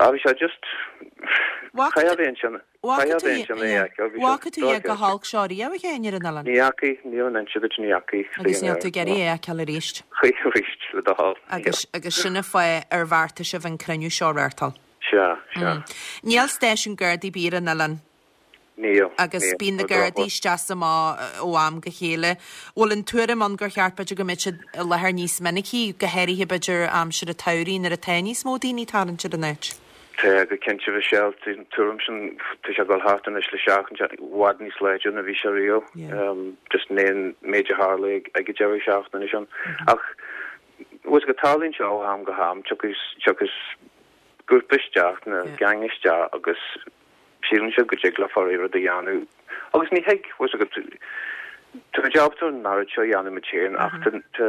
ah bhí sé just Caithfidh bheith ansin. Bhfaca Caithfidh bheith ansin é a fheiceáil. Bhí sé Bhfaca tú é go dochreidte. holc seo riamh a Sheáin ar an oileán? Ní fhacaidh, níl an inse duit ní fhacaidh Agus níl tú ag iarraidh é a fheiceáil arís. Choíche arís le do thoil. Agus agus sin an fáth ar bheartaigh sibh an cruinniú seo a reáchtáil. Sea, sea. Níl stáisiún Gardaí ar bith ar an oileán. Níl, Agus níl, bíonn na ar Gardaí drochuair. isteach is amach ó am go chéile. Bhfuil an tuairim ann gur cheart b'fhéidir go mbeadh siad i láthair níos minicí, go háirithe b'fhéidir aimsir an tsamhraidh nuair atá níos mó daoine ag tarraingt ar an áit? Tá go cinnte Michelle, tá an tuairim sin tá sé ag dul thart anois le seachtain i bhfad níos láidre ná bhí sé riamh. Yeah. Um, just an méid a tharla ag ag an deireadh seachtaine sin. Ach was go tarlaíonn sé ó am go ham, tiocfaidh tiocfaidh grúpa isteach na Yeah. gang isteach agus síleann siad go dtig leo rud a dhéanamh. Agus ní thig was go Tá ábalta an oiread seo a dhéanamh muid féin ach tá tá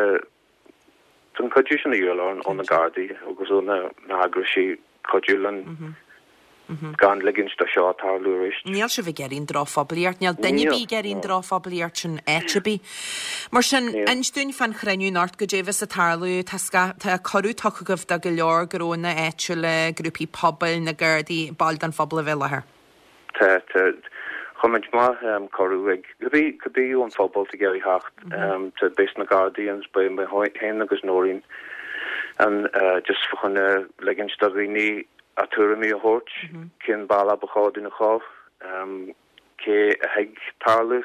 tá an cuidiú sin a dhíobháil ó na Gardaí agus ó na na heagraisí cuidiú linn gan ligint do seo tarlú arís. Níl sibh ag iarraidh an drochphoiblíocht, níl duine Níl, ar bith ag iarraidh an no. drochphoiblíocht sin áit ar bith. Mar sin, Níl. inis dúinn fán chruinniú anocht goidé a bheas ag tarlú, tá sca- tá cuireadh tugtha agaibh do go leor gnónna áitiúla, grúpaí pobail, na Gardaí, baill den phobal a bheith i láthair. Tá tá chuir muid amach um, cuireadh ag cibé cibé ón phobal ag iarraidh theacht um, tá beidh na Gardaí agus beidh mé féin agus Nóirín an uh, just chun uh, ligint do dhaoine a tuairimí a thabhairt cén bealach ba chóir dúinn a chur um, cé a thig tarlú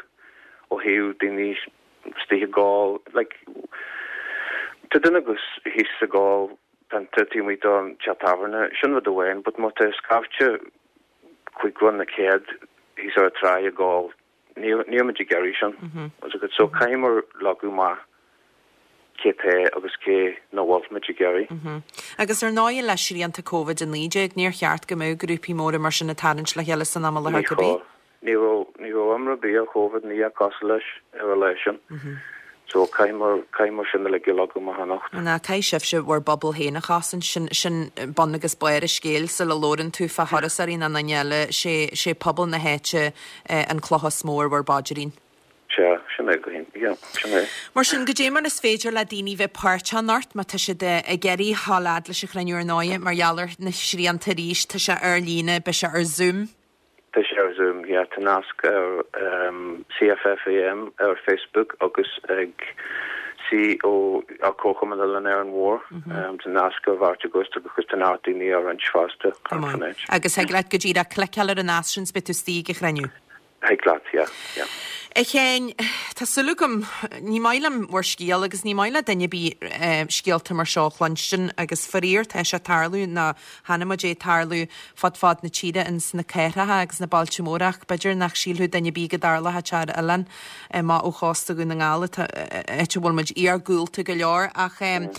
ó thaobh daoine istigh ag ól like tá duine agus thíos ag ól pionta taobh amuigh den teach tábhairne sin rud amháin but má tá scaifte cúig na céad thíos ar an trá ag ól níl níl muid ag iarraidh sin agus so caithfidh leagadh amach cé tá agus cé nach bhfuil muid ag iarraidh. Agus ar ndóigh le srianta Covid a naoi déag níor cheart go mbeadh grúpaí móra mar sin ag tarraingt le chéile san am i láthair Ní cibé. chóir. Ní raibh ní raibh iomrá ar bith ar Covid ní cosúil leis ar an lá sin. So caithfidh caithfidh sin le leagadh amach anocht. Ná caithfidh sibhse bhur bpobal féin a chosaint sin sin bun agus barr an scéil sula labhrann tú fá thurasóirí ná aon duine eile sé sé pobal na háite eh, an cloch is mó ar bhur bpaidrín. Sea, sin é go hin. Yeah, sin é. Mar sin goidé mar is féidir le daoine bheith páirteach anocht má tá siad eh, ag iarraidh a dhul fhad leis an chruinniú ar ndóigh mar gheall ar na srianta arís tá sé ar líne beidh sé ar Zoom. Tá sé ar Zoom, yeah, tá nasc ar um, CFFAM ar Facebook agus ag CO a Comharchumann Oileán Árainn Mhór um, tá nasc ar bhart agus agus tá neart daoine ar roinnt fosta Go maith. Agus thig leat go díreach cliceáil ar an nasc sin 's beidh tú istigh ag an chruinniú. Thig leat, yeah, yeah. A Sheáin, tá súil agam ní maith liom bhur scéal agus ní maith le duine ar bith eh, scéalta mar seo a chluinstin agus faraor tá sé ag tarlú ná chonaic muid é ag tarlú fud fad na tíre ins na cathracha agus na bailte móra ach b'fhéidir nach sílfeadh duine ar bith go dtarlódh sé ar oileán amach ó chósta Dhún na nGall áit a bhfuil muid iargúlta go leor ach um,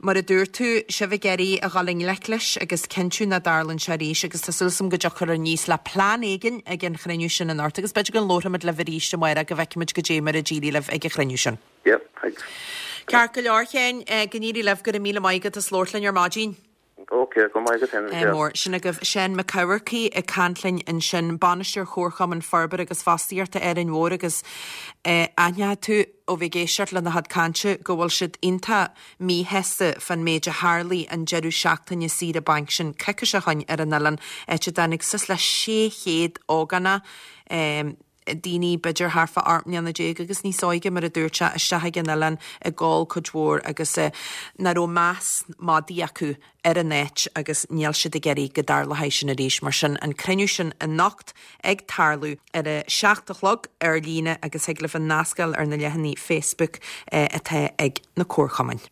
Mar a dúirt tú sibh ag iarraidh a dhul i ngleic leis agus cinntiú nach dtarlaíonn sé arís agus tá súil agam go dtiocfar aníos le plean éigin ag an chruinniú sin anocht agus b'fhéidir go labhróimid libh arís amárach go bhfeicfimid goidé mar a d'éirigh libh ag an chruinniú sin. Yep, thanks. Ceart go leor Sheáin eh, go n-éirí libh go raibh míle maith agat as labhairt linn ar maidin. Okay, go maith go Eh, mór sin agaibh Seán Mac Eamharcaigh ag caint linn ansin bainisteoir Chomharchumann Forbartha agus Fostaíochta Árainn Mhór agus eh, aithneoidh tú ó bheith ag éisteacht lena chuid cainte go bhfuil siad iontach míshásta fan méid a tharla an deireadh seachtaine saoire bainc sin coicís ó shin ar an oileán áit a dtáinig suas le sé chéad ógánach um, daoine b'fhéidir thart fá ocht mbliana déag agus níos óige mar a dúirt sé isteach ag an oileán ag ól cuid mhór agus eh, nach raibh meas madaidh acu ar an áit agus níl siad ag iarraidh go dtarlódh sin arís mar sin an cruinniú sin anocht ag tarlú ar a seacht a chlog ar líne agus thig libh an nasc a fháil ar na leathanaigh Facebook eh, atá ag na comharchumainn.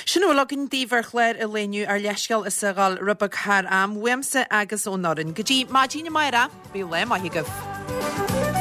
Sin bhfuil againn daoibh ar chlár an lae inniu ár leithscéal as a dhul rud beag thar am uaimse agus ón fhoireann. Go dtí maidin amárach, bíodh lá maith agaibh.